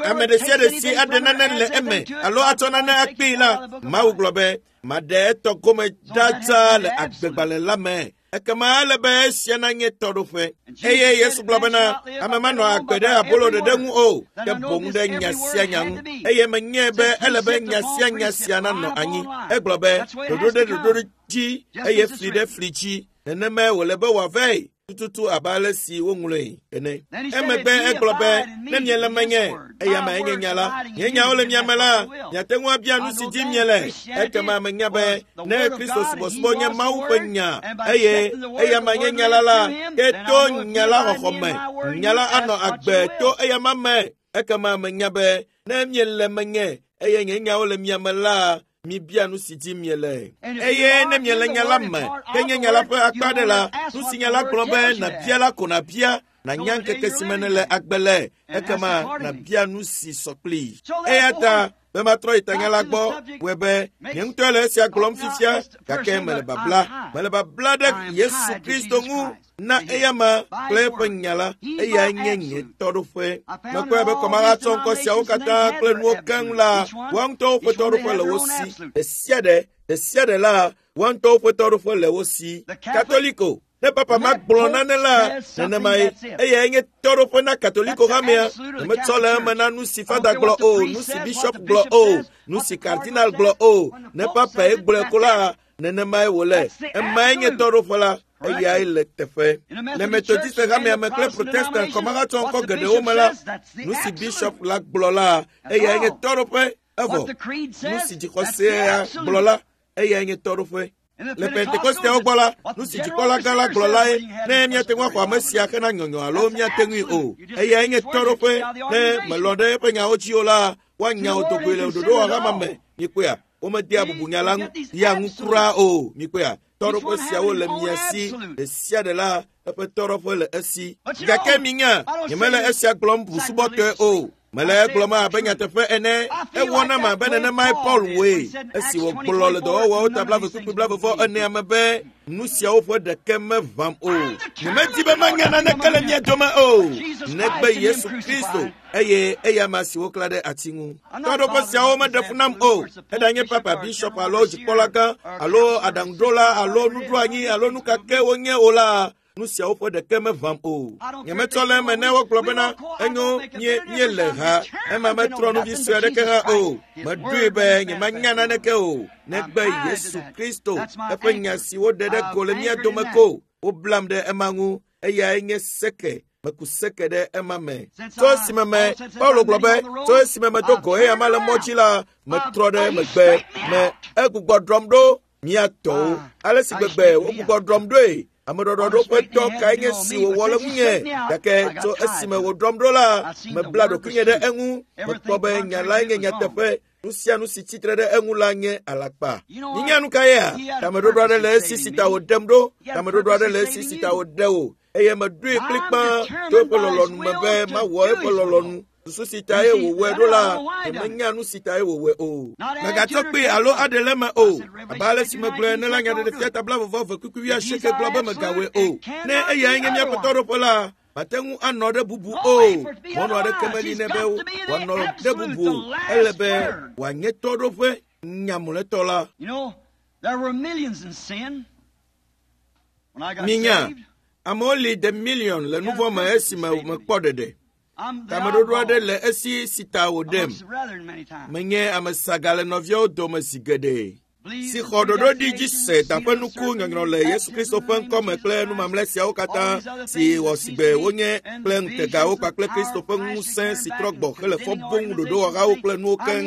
Ame ɖe sia ɖe si aɖe nane le eme alo atsɔ nane akpee la, Mawu gblɔ be maɖe etɔ gome ɖa tsa le agbegbalẽ la me. Ekema ele be esia nanye tɔɖoƒe. Eye Yesu gblɔ bena ame manɔ agbe ɖe abolo ɖeɖe ŋu o, ke boŋ ɖe nya sia nya ŋu. Eye menyae be ele be nya sia nya sia nanɔ anyi. Egblɔ be ɖoɖo ɖe ɖoɖo dzi eye fli ɖe fli dzi. Nenemae wòle be wòavae tututu abe ale si woŋlɔe ene. Emegbe egblɔ be ne miele menye, eya me enye nya la. Nye nyawo le mia me la, miate ŋu abia nu si dim miele. Ekema menya be ne Kristo subɔsubɔ nye Mawu ƒe nya eye eya me nye nya la la, ke to nya la xɔxɔ me, nya la anɔ agbe to eya ma me. Ekema menya be ne miele menye eye nye nyawo le mia me la, mibia nu si dim miele. Eye ne miele nya la me, ke nye nya la ƒe akpa ɖe la, nu si nya la gblɔ be nàbia la ko nàbia, nànya ŋkeke si me nèle agbe le, ekema nàbia nu si sɔ kplii. Eya ta be matrɔ yi tanya la gbɔ, wɔe be nye ŋutɔe le esia gblɔm fifia, gake mele babla. Mele babla ɖe Yesu Kristo ŋu na eyama kple eƒe nya la, eyae nye nye tɔɖoƒe. Mekpɔe be kɔmahatsɔ ŋkɔ siawo katã kple nuwo keŋ la, woa ŋutɔwo ƒe tɔɖoƒe le wo si. Ɖe sia ɖe la, woa ŋutɔwo ƒe tɔɖoƒe le wo si. Katoliko, ne papa ma gblɔ nane la, nenemae. Eyae nye tɔɖoƒe na Katoliko hamea. Nyemetsɔ le eme na nu si fada gblɔ o, nu si bishop gblɔ o, nu si cardinal gblɔ o. Ne papae gblɔe ko la, nenemae wòle. Emae nye tɔɖoƒe la. Eyae le teƒe. Le Methodiste hamea me kple Protestant kɔmahatsɔ ŋkɔ geɖewo me la, nu si bishop la gblɔ la, eyae nye tɔɖoƒe. Evɔ, nu si dzixɔsea gblɔ la, eyae nye tɔɖoƒe. Le Pentekosteawo gbɔ la, nu si dzikpɔla gã la gblɔ lae, ne míate ŋu axɔ ame sia hena nyɔnyɔ alo míate ŋui o. Eyae nye tɔɖoƒe. Ne mèlɔ̃ ɖe eƒe nyawo dzi o la, woanya wò dogoe le ɖoɖowɔha ma me. Mikpɔea? Womedea bubu nya la ŋu ya ŋu kura o. Mikpɔea? Tɔɖoƒe siawo le mia si. Ɖe sia ɖe la, eƒe tɔɖoƒe le esi. Gake minya, nyemele esia gblɔm busubɔtɔe o. Mele egblɔm abe nyateƒe ene. Ewɔ nam abe nenemae Paul wɔe esi wògblɔ le dɔwɔwɔwo ta 12:40 me be nu siawo ƒe ɖeke meʋãm o. Nyemedi be manya naneke le mia dome o, negbe Yesu Kristo eye eyama si woklã ɖe ati ŋu. Tɔɖoƒe siawo meɖe fu nam o. Eɖanye papa, bishop alo dzikpɔlagã alo aɖaŋuɖola alo nuɖoanyi alo nu ka ke wonye o la, nu siawo ƒe ɖeke meʋãm o. Nyemetsɔ le eme ne wogblɔ bena enyo míele ha, ema metrɔ nu vi sue aɖeke hã o. Meɖoe be nyemanya naneke o, negbe Yesu Kristo, eƒe nya si woɖe ɖe go le mía dome ko. Woblam ɖe ema ŋu, eyae nye seke. Meku seke ɖe ema me. Tso esime me, Paulo gblɔ be, tso esime medo go eyama le mɔ dzi la, metrɔ ɖe megbe me egbugbɔ ɖɔm ɖo mía tɔwo. Ale si gbegbe wogbugbɔ ɖɔm ɖoe, ameɖɔɖɔɖo ƒe dɔ kae nye si wòwɔ le ŋunye. Gake tso esime wòɖɔm ɖo la, mebla ɖokuinye ɖe eŋu. Mekpɔ be nya lae nye nyateƒe. Nu sia nu si tsitre ɖe eŋu la nye alakpa. Minya nu ka yea? Tameɖoɖo aɖe le esi si ta wòɖem ɖo. Tameɖoɖo aɖe le esi si ta wòɖe wò. Eye meɖoe kplikpaa to eƒe lɔlɔ̃nu me be mawɔ eƒe lɔlɔ̃nu. Susu si tae wòwɔe ɖo la, nyemenya nu si tae wòwɔe o. Mègatsɔ kpee alo aɖe le eme o. Abe ale si megblɔe ene la, Nyaɖeɖefia ta 20:28 gblɔ be mègawɔe o. Ne eyae nye míaƒe tɔɖoƒe la, mate ŋu anɔ ɖe bubu o. Mɔnu aɖeke meli nɛ be wòanɔ ɖe bubu o. Ele be wòanye tɔɖoƒe nyamlɔetɔ la. Minya, amewo li de miliɔn le nuvɔ̃ me esime mekpɔ ɖeɖe. Tameɖoɖo aɖe le esi si ta wòɖem. Menye ame saga le nɔviawo dome zi geɖe. Si xɔ ɖoɖo ɖi dzi se daƒe nuku nyɔnyrɔ le Yesu Kristo ƒe ŋkɔme kple nu mamlɛ siawo katã si wɔ sigbe wonye kple ŋutegawo kpakple Kristo ƒe ŋusẽ si trɔ gbɔ hele fɔ bom ɖoɖowɔhawo kple nuwo keŋ.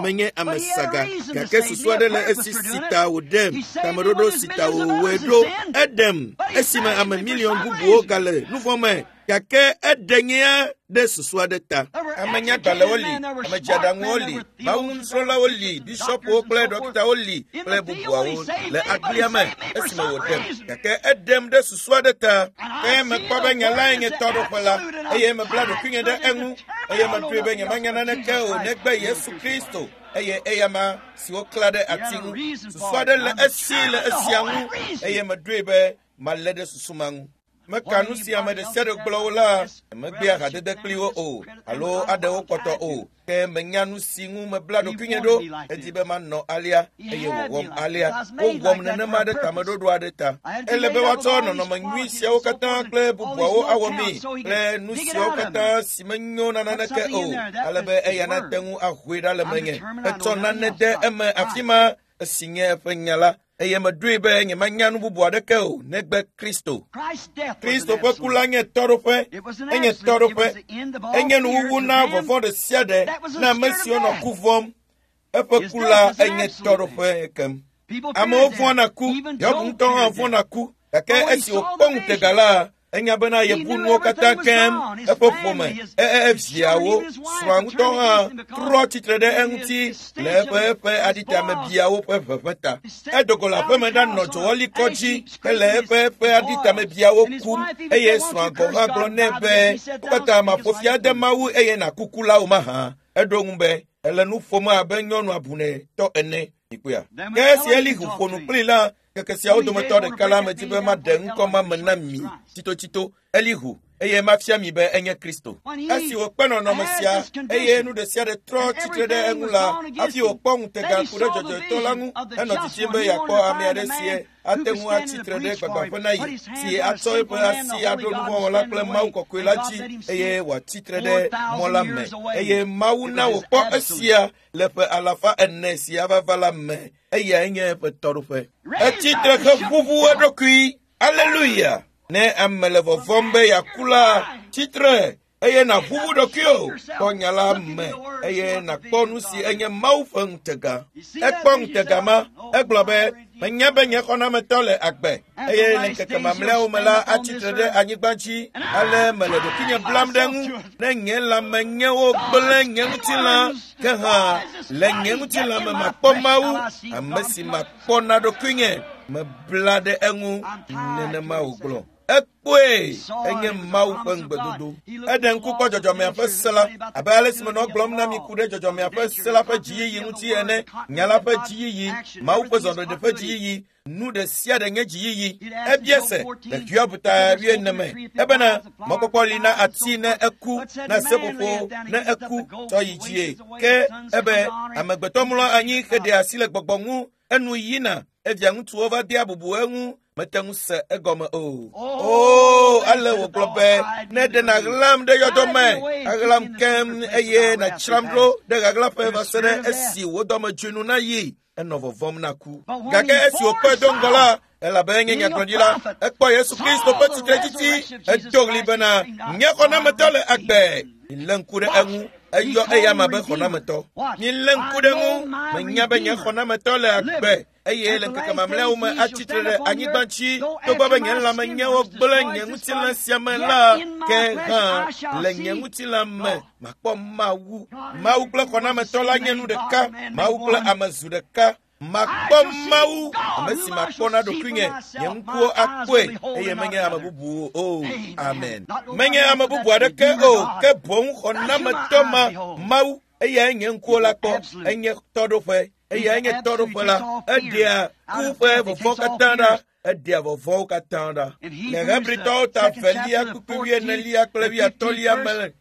Menye ame saga, gake susu aɖe le esi si ta wòɖem, tameɖoɖo si ta wòwɔe ɖo. Eɖem esime ame miliɔn bubuwo gale nuvɔ̃ me. Gake eɖe nyea ɖe susu aɖe ta. Ame nyagbalẽwo li, ame dzeaɖaŋuwo li, mawunusrɔ̃lawo li, bishɔpwo kple ɖɔkitawo li kple bubuawo le agblia me esime wòɖem. Gake eɖem ɖe susu aɖe ta. Ke mekpɔ be nye lae nye tɔɖoƒe la, eye mebla ɖokuinye ɖe eŋu, eye meɖoe be nyemanya naneke o negbe Yesu Kristo eye eyama si woklã ɖe ati ŋu. Susu aɖe le esi le esia ŋu, eye meɖoe be malé ɖe susu ma ŋu. Meka nu si ame ɖe sia ɖe gblɔ wo la, megbea hadede kpli wo o, alo aɖe wo kpɔtɔ o. Ke menya nu si ŋu mebla ɖokuinye ɖo. Edi be manɔ alea, eye wòwɔm alea. Wowɔm nenema ɖe tameɖoɖo aɖe ta. Ele be woatsɔ nɔnɔme nyui siawo katã kple bubuawo awɔ mí kple nu siawo katã si menyo na naneke o, ale be eya nate ŋu ahoe ɖa le menye. Etsɔ nane de eme afi ma esi nye eƒe nya la. Eye meɖoe be nyemanya nu bubu aɖeke o negbe Kristo. Kristo ƒe ku la nye tɔɖoƒe, enye tɔɖoƒe, enye nuwuwu na vɔvɔ̃ ɖe sia ɖe na ame siwo nɔ ku vɔ̃m. Eƒe ku la enye tɔɖoƒe kem. Amewo vɔ̃na ku, Hiob ŋutɔ hã vɔ̃na ku, gake esi wòkpɔ ŋutega la, enya bena yebu nuwo katã keŋ, eƒe ƒome, eviawo, srɔ̃a ŋutɔ hã trɔ tsitre ɖe eŋuti le eƒe eƒe aɖitamebiawo ƒe ʋeʋẽ ta. Edo go le aƒeme ɖanɔ dzowɔlikɔ dzi hele eƒe eƒe aɖitamebiawo kum, eye srɔ̃a gɔ̃ hã gblɔ nɛ be, "Wo katã maƒo fi ade Mawu eye nàkuku la o mahã?" Eɖo ŋu be, "Ele nu ƒom abe nyɔnu abunɛtɔ ene." Mikpɔea? Ke esi Elihu ƒo nu kplii la, keke siawo dometɔ ɖeka la medi be maɖe ŋkɔ ma me na mi tsitotsito, Elihu, eye mafia mi be enye Kristo. Esi wòkpe nɔnɔme sia, eye nu ɖe sia ɖe trɔ tsitre ɖe eŋu la, hafi wòkpɔ ŋutega ku ɖe dzɔdzɔetɔ la ŋu henɔ didim be yeakpɔ ame aɖe si ate ŋu atsitre ɖe gbagbãƒe na ye, si atsɔ eƒe asi aɖo nuvɔ̃wɔla kple Mawu kɔkɔe la dzi, eye wòatsitre ɖe mɔ la me. Eye Mawu na wòkpɔ esia le ƒe alafa ene si ava va la me. Eyae nye eƒe tɔɖoƒe. Etsitre heʋuʋu eɖokui. Aleluya! Ne ame le vɔvɔ̃m be yeaku la, tsitre eye nàʋuʋu ɖokuiwò. Kpɔ nya la me eye nàkpɔ nu si enye Mawu ƒe ŋutega. Ekpɔ ŋutega ma. Egblɔ be, menya be nye xɔnametɔ le agbe eye le ŋkeke mamlɛawo me la atsitre ɖe anyigba dzi. Ale mele ɖokuinye blam ɖe ŋu. Ne nye lãme nyewo gblẽ nye ŋutilã, ke hã le nye ŋutilã me makpɔ Mawu, ame si makpɔ na ɖokuinye. Mebla ɖe eŋu, nenema wògblɔ. Ekpɔe, enye Mawu ƒe ŋugbedodo. Eɖe ŋku kpɔ dzɔdzɔmea ƒe se la, abe ale si menɔ gblɔm na mi ku ɖe dzɔdzɔmea ƒe se la ƒe dziyiyi ŋuti ene, nya la ƒe dziyiyi, Mawu ƒe zɔɖeɖe ƒe dziyiyi, nu ɖe sia ɖe nye dziyiyi. Ebia se le Hiob ta 40 me ebena mɔkpɔkpɔ li na ati ne eku, na seƒoƒo ne eku tsɔ yi dzie. Ke ebe amegbetɔ mlɔ anyi heɖe asi le gbɔgbɔ ŋu, enu yina, evia ŋutsuwo va dea bubu eŋu, mete ŋu se egɔme o. Oo, ale wògblɔ be, ne ɖe nàɣlam ɖe yɔdɔ me, aɣlam keŋ eye nàtsram ɖo ɖe ɣaɣlaƒe va se ɖe esi wò dɔmedzoe nu nayi. Enɔ vɔvɔ̃m na ku. Gake esi wòkpɔe do ŋgɔ la, elabe enye nyagblɔɖila, ekpɔ Yesu Kristo ƒe tsitretsitsi, edo ɣli bena, nye xɔnametɔ le agbe. Milé ŋku ɖe eŋu. Eyɔ eyama be xɔnametɔ. Milé ŋku ɖe eŋu. Menya be nye xɔnametɔ le agbe, eye le ŋkeke mamlɛawo me atsitre ɖe anyigba dzi. Togbɔ be nye lãme nyewo gblẽ nye ŋutilã sia me la, ke hã le nye ŋutilã me makpɔ Mawu. Mawu kple xɔnametɔ la nye nu ɖeka. Mawu kple ame zu ɖeka. Makpɔ Mawu, ame si makpɔ na ɖokuinye, nye ŋkuwo akpɔe, eye menye ame bubu o. Amen. Menye ame bubu aɖeke o, ke boŋ xɔnametɔ ma, Mawu, eyae nye ŋkuwo la kpɔ, enye tɔɖoƒe, eyae nye tɔɖoƒe la, eɖea ku ƒe vɔvɔ̃ katã ɖa. Eɖea vɔvɔ̃wo katã ɖa. Le Hebritɔwo ta 2 kpukpui 4 kple 8 me,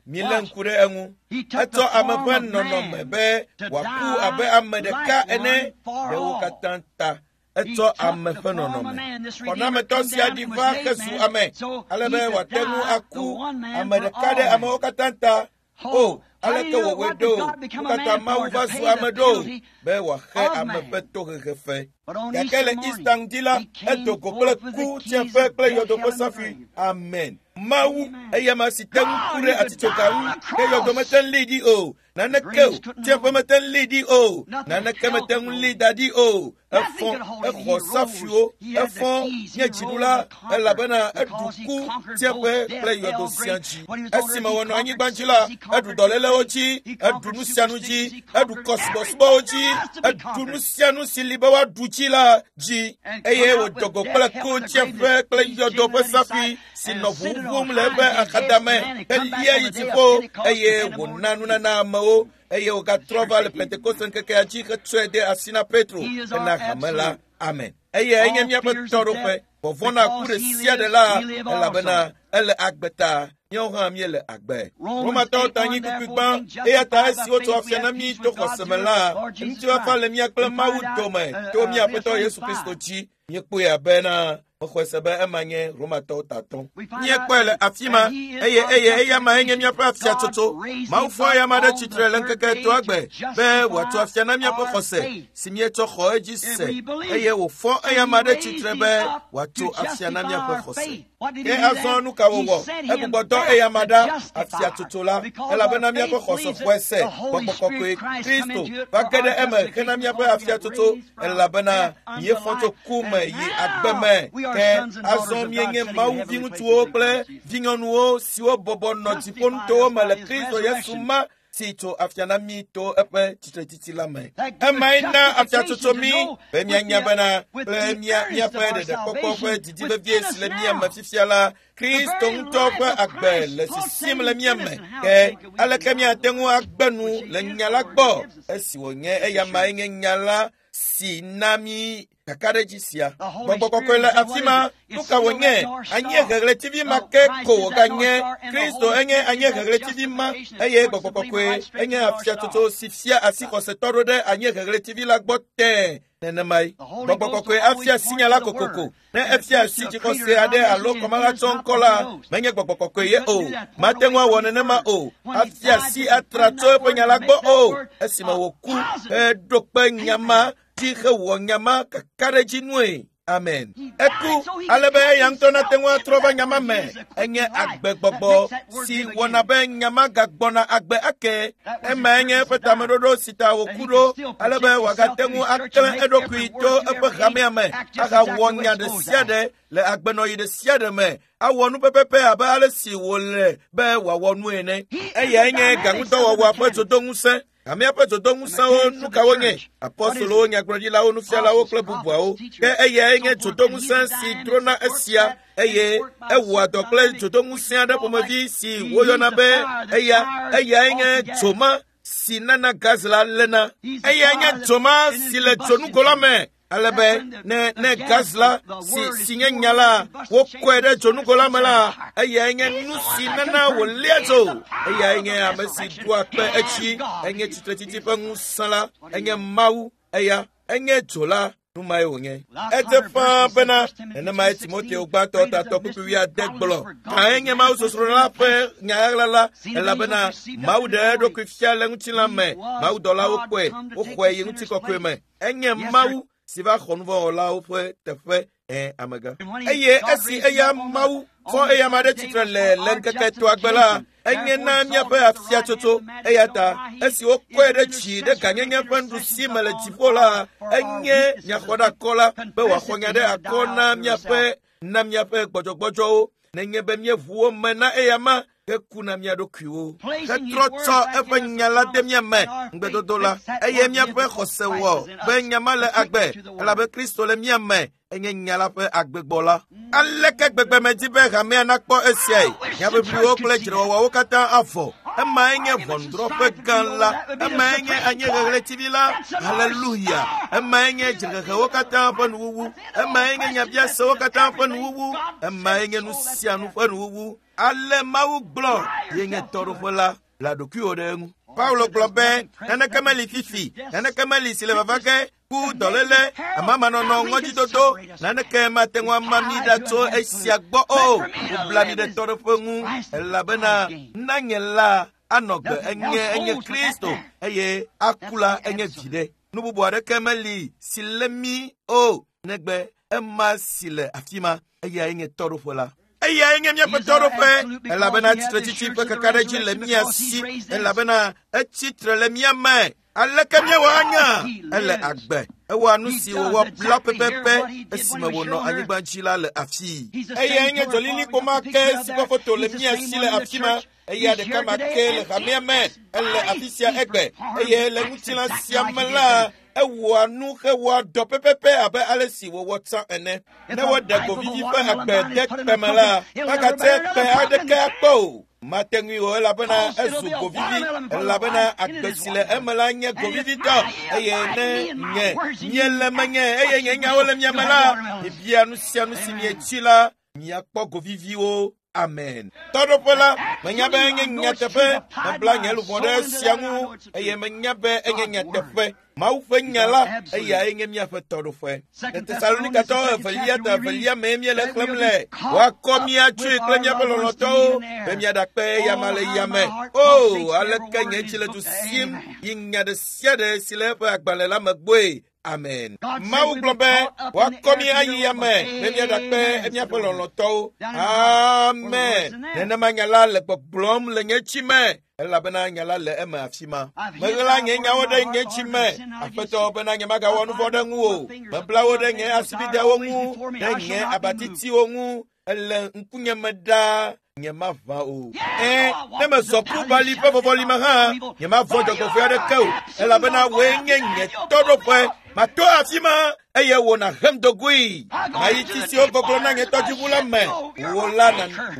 milé ŋku ɖe eŋu. Etsɔ ame ƒe nɔnɔme be wòaku abe ame ɖeka ene ɖe wo katã ta. Etsɔ ame ƒe nɔnɔme. Xɔnametɔ sia ɖi va hezu ame, ale be wòate ŋu aku ame ɖeka ɖe amewo katã ta. O, aleke wòwɔe ɖo? Wo katã Mawu va zu ame ɖo be wòaxe ame ƒe tohehe fe. Gake le Easter ŋdi la, edo go kple ku, tsiẽƒe kple yɔdo ƒe safui. Amen. Mawu, eya ma si te ŋu ku ɖe atitsoga ŋu, ke yɔdo mete ŋu lée ɖi o. Naneke o, tsiẽƒe mete ŋu lée ɖi o. Naneke mete ŋu lée da ɖi o. Efɔ, exɔ safuiwo, efɔ nye dziɖula, elabena eɖu ku, tsiẽƒe kple yɔdo sia dzi. Esime wònɔ anyigba dzi la, eɖu dɔlélewo dzi, eɖu nu sia nu dzi, eɖu kɔsubɔsubɔwo dzi, eɖu nu sia nu si li be woaɖu dzi la dzi, eye wòdo go kple ku, tsiẽƒe kple yɔdo ƒe safui si nɔ ʋuʋum le eƒe axadame helia yi dziƒo, eye wòna nunana amewo, eye wògatrɔ va le Pentekoste ŋkekea dzi hetsɔe de asi na Petro hena hame la. Amen. Eye enye míaƒe tɔɖoƒe. Vɔvɔ̃ na ku ɖe sia ɖe la, elabena ele agbe ta, míawo hã míele agbe. Romatɔwo ta anyi kpukpui gbã, eya ta esi wotso afia na mí to xɔse me la, ŋutifafa le mía kple Mawu dome to mía Aƒetɔ Yesu Kristo dzi. Míekpɔe abena mexɔe se be ema nye Romatɔwo ta tɔ̃. Míekpɔe le afi ma, eye eye eyama enye míaƒe afiatsotso. Mawu fɔ eyama ɖe tsitre le ŋkeke etɔ̃a gbe be wòatso afia na míaƒe xɔse si míetsɔ xɔ edzi se, eye wòfɔ eyama ɖe tsitre be wòatso afia na míaƒe xɔse. Ke azɔ nu ka wòwɔ? Egbugbɔ dɔ eyama ɖa afiatsotso la, elabena míaƒe xɔse xɔe se. Gbɔgbɔ kɔkɔe Kristo va ge ɖe eme hena míaƒe afiatsotso, elabena míefɔ tso ku me yi agbe me. Ke azɔ míenye Mawu viŋutsuwo kple vinyɔnuwo siwo bɔbɔ nɔ dziƒonutowo me le Kristo Yesu ma si tso afia na mí to eƒe tsitretsitsi la me. Emae na afiatsotso mí be míanya bena kple míaƒe ɖeɖekpɔkpɔ ƒe didi vevie si le mía me fifia la, Kristo ŋutɔ ƒe agbe le sisim le mía me. Ke aleke míate ŋu agbe nu le nya la gbɔ esi wònye eyamae nye nya la si na mí kakaɖedzi sia? Gbɔgbɔ kɔkɔe le afi ma. Nu ka wònye? Anyieheɣletivi ma ke ko wòganye. Kristo enye anyieheɣletivi ma, eye gbɔgbɔ kɔkɔe enye afiatsotso si fia asi xɔsetɔ ɖo ɖe anyieheɣletivi la gbɔ tẽe. Nenemae gbɔgbɔ kɔkɔe afia asi nya la kokoko. Ne efia asi dzixɔse aɖe alo kɔmahatsɔ ŋkɔ la, menye gbɔgbɔ kɔkɔe ye o. Mate ŋu awɔ nenema o. Afia asi atra tso eƒe nya la gbɔ o. Esime wòku heɖo kpe nya ma dzi hewɔ nya ma kakaɖedzi nue. Amen. Eku ale be eya ŋutɔ nate ŋu atrɔ va nya ma me. Enye agbegbɔgbɔ si wɔna be nya ma gagbɔna agbe ake. Emae nye eƒe tameɖoɖo si ta wòku ɖo, ale be wòagate ŋu aklẽ eɖokui to eƒe hamea me ahawɔ nya ɖe sia ɖe le agbenɔɣi ɖe sia ɖe me, awɔ nu pɛpɛpɛ abe ale si wòle be wòawɔ nu ene. Eyae nye gaŋudɔwɔwɔa ƒe dzodoŋusẽ. Hamea ƒe dzodoŋusẽwo nu ka wonye? Apɔstolowo, nyagblɔɖilawo, nufialawo kple bubuawo. Ke eyae nye dzodoŋusẽ si drona esia eye ewɔa dɔ kple dzodoŋusẽ aɖe ƒomevi si woyɔna be eya. Eyae nye dzoma si nana gaz la léna. Eyae nye dzoma si le dzonugo la me. Ale be ne ne gaz la si si nye nya la wokɔe ɖe dzonugo la me la, eyae nye nu si nana wòlia dzo. Eyae nye ame si ɖoa kpe edzi. Enye tsitretsitsi ƒe ŋusẽ la. Enye Mawu. Eya enye dzo la. Nu mae wònye. Edze ƒãa bena nenemae Timoteo gbãtɔ tatɔ kpukpui wuiade gblɔ. Kae nye Mawu sosro la ƒe nya ɣaɣla la? Elabena Mawu ɖe eɖokui fia le ŋutilã me. Mawudɔlawo kpɔe, woxɔe yi ŋutikɔkɔe me. Enye Mawu si va xɔ nuvɔ̃wɔlawo ƒe teƒe ẽ amegã. Eye esi eya Mawu fɔ eyama ɖe tsitre le le ŋkeke etɔ̃a gbe la, enye na míaƒe afiatsotso. Eya ta esi wokɔe ɖe dzi ɖe gãnyenye ƒe nuɖusi me le dziƒo la, enye nyaxɔɖeakɔ la be wòaxɔ nya ɖe akɔ na míaƒe na míaƒe gbɔdzɔgbɔdzɔwo. Nenye be míeʋu wo me na eyama heku na mía ɖokuiwo. Hetrɔ tsɔ eƒe nya la de mía me, ŋugbedodo la, eye míaƒe xɔse wɔ be nya ma le agbe, elabe Kristo le mía me, enye nya la ƒe agbegbɔ la. Aleke gbegbe medi be hamea nakpɔ esiae? Nyaʋiʋliwo kple dzrewɔwɔwo katã avɔ. Emae nye ʋɔnudrɔ̃ƒe gã la. Emae nye anyiheɣletivi la. Haleluya! Emae nye dzrehehewo katã ƒe nuwuwu. Emae nye nyabiasewo katã ƒe nuwuwu. Emae nye nu sia nu ƒe nuwuwu. Ale Mawu gblɔ ye nye tɔɖoƒe la, bla ɖokuiwò ɖe eŋu. Paulo gblɔ be naneke meli fifi, naneke meli si le vava ge, ku, dɔléle, amamanɔnɔ, ŋɔdzidodo, naneke mate ŋu ama mí ɖa tso esia gbɔ o. Wobla mí ɖe tɔɖoƒe ŋu elabena na nye la anɔ gbe enye enye Kristo eye aku la enye viɖe. Nu bubu aɖeke meli si lé mí o negbe ema si le afi ma, eyae nye tɔɖoƒe la. Eyae nye míaƒe tɔɖoƒe, elabena tsitretsitsi ƒe kakaɖedzi le mía si, elabena etsi tre le mía me. Aleke míewɔ anya? Ele agbe. Ewɔa nu si wòwɔ la pɛpɛpɛ esime wònɔ anyigba dzi la le afii. Eyae nye dzɔlilikpo ma ke si ƒe foto le mía si le afi ma. Eya ɖeka ma ke le hamea me. Ele afi sia egbe. Eye le ŋutilã sia me la, ewɔa nu hewɔa dɔ pɛpɛpɛ abe ale si wòwɔ tsã ene. Ne woɖe govivi ƒe agbe de kpe me la, magate kpe aɖeke akpɔ o. Mate ŋui o elabena ezu govivi, elabena agbe si le eme la nye govivitɔ. Eye ne nye miele menye eye nye nyawo le mia me la, mibia nu sia nu si mietsi la, miakpɔ goviviwo. Amen. Tɔɖoƒe la, menya be enye nyateƒe. Mebla nye luʋɔ ɖe esia ŋu eye menya be enye nyateƒe. Mawu ƒe nya la, eyae nye míaƒe tɔɖoƒe. Le Tesalonikatɔwo evelia ta evelia mee míele xlẽm le. Woakɔ mía tsoe kple míaƒe lɔlɔ̃tɔwo be míaɖakpe eyama le yame. O, aleke nye dzi le du sim yi nya ɖe sia ɖe si le eƒe agbalẽ la me gbɔe. Amen. Mawu gblɔ be woakɔ mí ayi yame be míaɖakpe míaƒe lɔlɔ̃tɔwo. Amen. Nenema nya la le gbɔgblɔm le nye tsi me, elabena nya la le eme afi ma. Meɣla nye nyawo ɖe nye tsi me, Aƒetɔ, bena nyemagawɔ nu vɔ̃ ɖe ŋuwò. Mebla wo ɖe nye asibidewo ŋu, ɖe nye abatitiwo ŋu. Ele ŋkunye me ɖaa, nyemaʋã o. Ẽ, ne mezɔ ku bali ƒe vɔvɔli me hã, nyemavɔ̃ dzɔgbevɔ̃e aɖeke o, elabena wòe nye nye tɔɖoƒe. Mato afi ma, eye wò nàhem do goe. Mayi tsi siwo gɔglɔ̃ na nye tɔdziʋu la me. Wò la,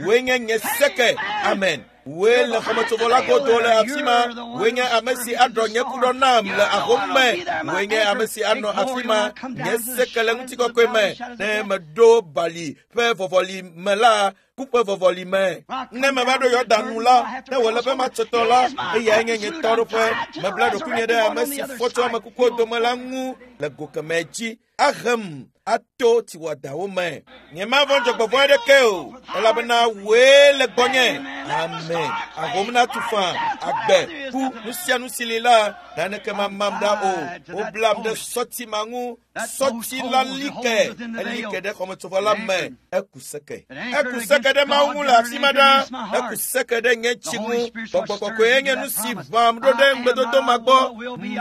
wòe nye nye seke. Amen. Wòe le xɔmetsovɔ la godo le afi ma. Wòe nye ame si aɖɔ nye kuɖɔ nam le ahom me. Wòe nye ame si anɔ afi ma, nye seke le ŋutikɔkɔe me. Ne meɖo bali ƒe vɔvɔli me la, ku ƒe vɔvɔli me. Ne meva ɖo Yɔdan nu la, ne wòle be matse tɔ la, eyae nye nye tɔɖoƒe. Mebla ɖokuinye ɖe ame si fɔ tso ame kukuwo dome la ŋu le go kemɛ dzi. Ahem ato tsiwɔdawo me. Nyemavɔ̃ dzɔgbevɔ̃e aɖeke o, elabena wòe le gbɔnye. Amen. Ahom natu faa, agbe, ku, nu sia nu si li la, naneke mamam ɖa o. Woblam ɖe sɔti ma ŋu. Sɔti la li ke, eli ke ɖe xɔmetsovɔ la me. Eku seke. Eku seke ɖe Mawu ŋu le afi ma ɖa. Eku seke ɖe nye tsi ŋu. Gbɔgbɔ kɔkɔe nye nu si ʋãm ɖo ɖe ŋugbedodo ma gbɔ.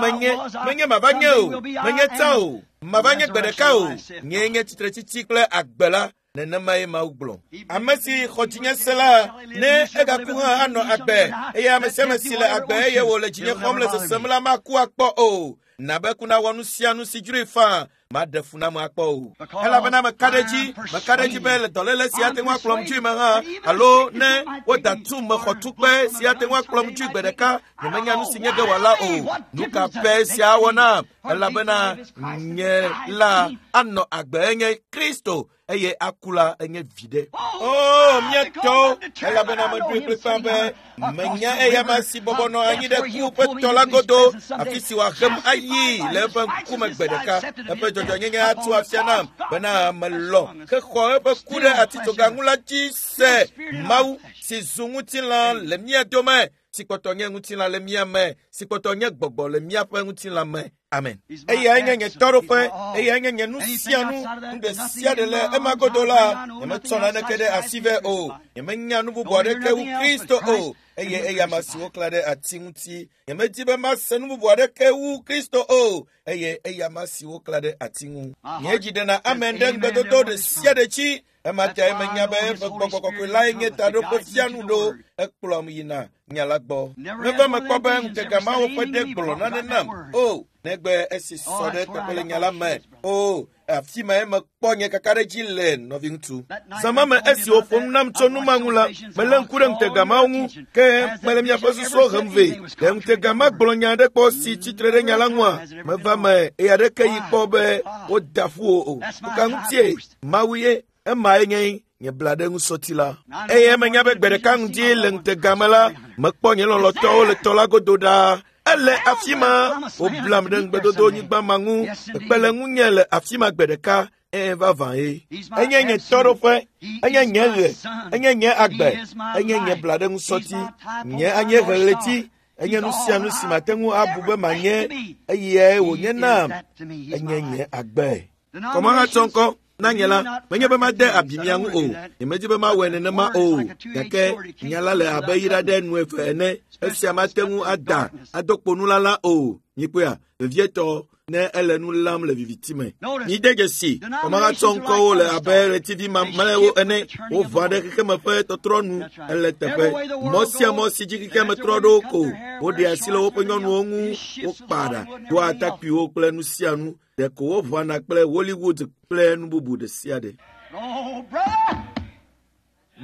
Menye, menye mava nye o, menye tsã o, mava nye gbe ɖeka o. Nyee nye tsitretsitsi kple agbe la. Nenemae Mawu gblɔ. Ame si xɔ dzinye se la, ne egaku hã anɔ agbe, eye ame sia ame si le agbe eye wòle dzinye xɔm le sesem la maku akpɔ o. Na be ku nawɔ nu sia nu si dzroe faa, maɖe fu nam akpɔ o. Elabena meka ɖe edzi, meka ɖe edzi be le dɔléle si ate ŋu akplɔm dzoe me hã, alo ne woda tum mexɔ tukpe si ate ŋu akplɔm dzoe gbe ɖeka, nyemenya nu si nye ge wòala o. Nu ka pɛ sia awɔ nam? Elabena nye la anɔ agbe enye Kristo, eye aku la enye viɖe. O, mía tɔwo, elabena meɖoe kplikpaa be menya eyama si bɔbɔ nɔ anyi ɖe ku ƒe tɔ la godo, afi si wòahem ayi le eƒe ŋkume gbe ɖeka. Eƒe dzɔdzɔnyenye atu afia nam bena melɔ̃ hexɔ eƒe ku ɖe atitsoga ŋu la dzi se. Mawu si zu ŋutilã le mía dome, si kpɔtɔ nye ŋutilã le mía me, si kpɔtɔ nye gbɔgbɔ le míaƒe ŋutilã me. Amen. Eyae nye nye tɔɖoƒe, eyae nye nye nu sia nu, nu ɖe sia ɖe le ema godo la, nyemetsɔ naneke ɖe asi vɛ o. Nyemenya nu bubu aɖeke wu Kristo o, eye eyama si woklã ɖe ati ŋuti. Nyemedi be mase nu bubu aɖeke wu Kristo o, eye eyama si woklã ɖe ati ŋu. Nye dzi ɖena amen ɖe ŋugbedodo ɖe sia ɖe dzi. Ema tae menya be eƒe gbɔgbɔ kɔkɔe lae nye taɖoƒe fianu ɖo, ekplɔm yina nya la gbɔ. Meva mekpɔ be ŋutega mawo ƒe ɖe gblɔ nane nam. O, negbe esi sɔ ɖe eteƒe le nya la me. O, afi mae mekpɔ nye kakaɖedzi le, nɔviŋutsu. Zã ma me esi wòƒo nu nam tso nu ma ŋu la, melé ŋku ɖe ŋutega mawo ŋu, ke mele miaƒe susuwo hem vɛ. Ɖe ŋutega ma gblɔ nya aɖe kpɔ si tsitre ɖe nya la ŋua? Meva me eye aɖeke yi kpɔ be woda ƒu wò o. Nu ka ŋutie? Mawu ye. Emae nye nye bla ɖe ŋusɔti la. Eye menya be gbe ɖeka ŋdi le ŋutega me la, mekpɔ nye lɔlɔ̃tɔwo le tɔ la godo ɖaa. Ele afi ma, woblam ɖe ŋugbedodo nyigba ma ŋu. Ekpe le ŋunye le afi ma gbe ɖeka. Ẽ, vavã ye. Enye nye tɔɖoƒe, enye nye ɣe, enye nye agbe, enye nye bla ɖe ŋusɔti, nye anyiehe ɣleti, enye nu sia nu si mate ŋu abu be manye, eyae wònye nam, enye nye agbe. Kɔmahatsɔ ŋkɔ na nye la, menye be made abi mia ŋu o, nyemedi be mawɔe nenema o, gake nya la le abe yi ɖe nu eve ene, esia mate ŋu ada ado kpo nulala o. Mikpɔea, vevietɔ ne ele nu lam le viviti me. Mide dzesi, kɔmahatsɔ ŋkɔwo le abe ɣletivi mamlɛwo ene, woʋã ɖe xexeme ƒe tɔtrɔ nu ele teƒe. Mɔ sia mɔ si dzi xexeme trɔ ɖo ko, woɖea asi le woƒe nyɔnuwo ŋu, wokpaa ɖa, doa atakpuiwo kple nu sia nu. Ɖeko woʋãna kple Hollywood kple nu bubu ɖe sia ɖe.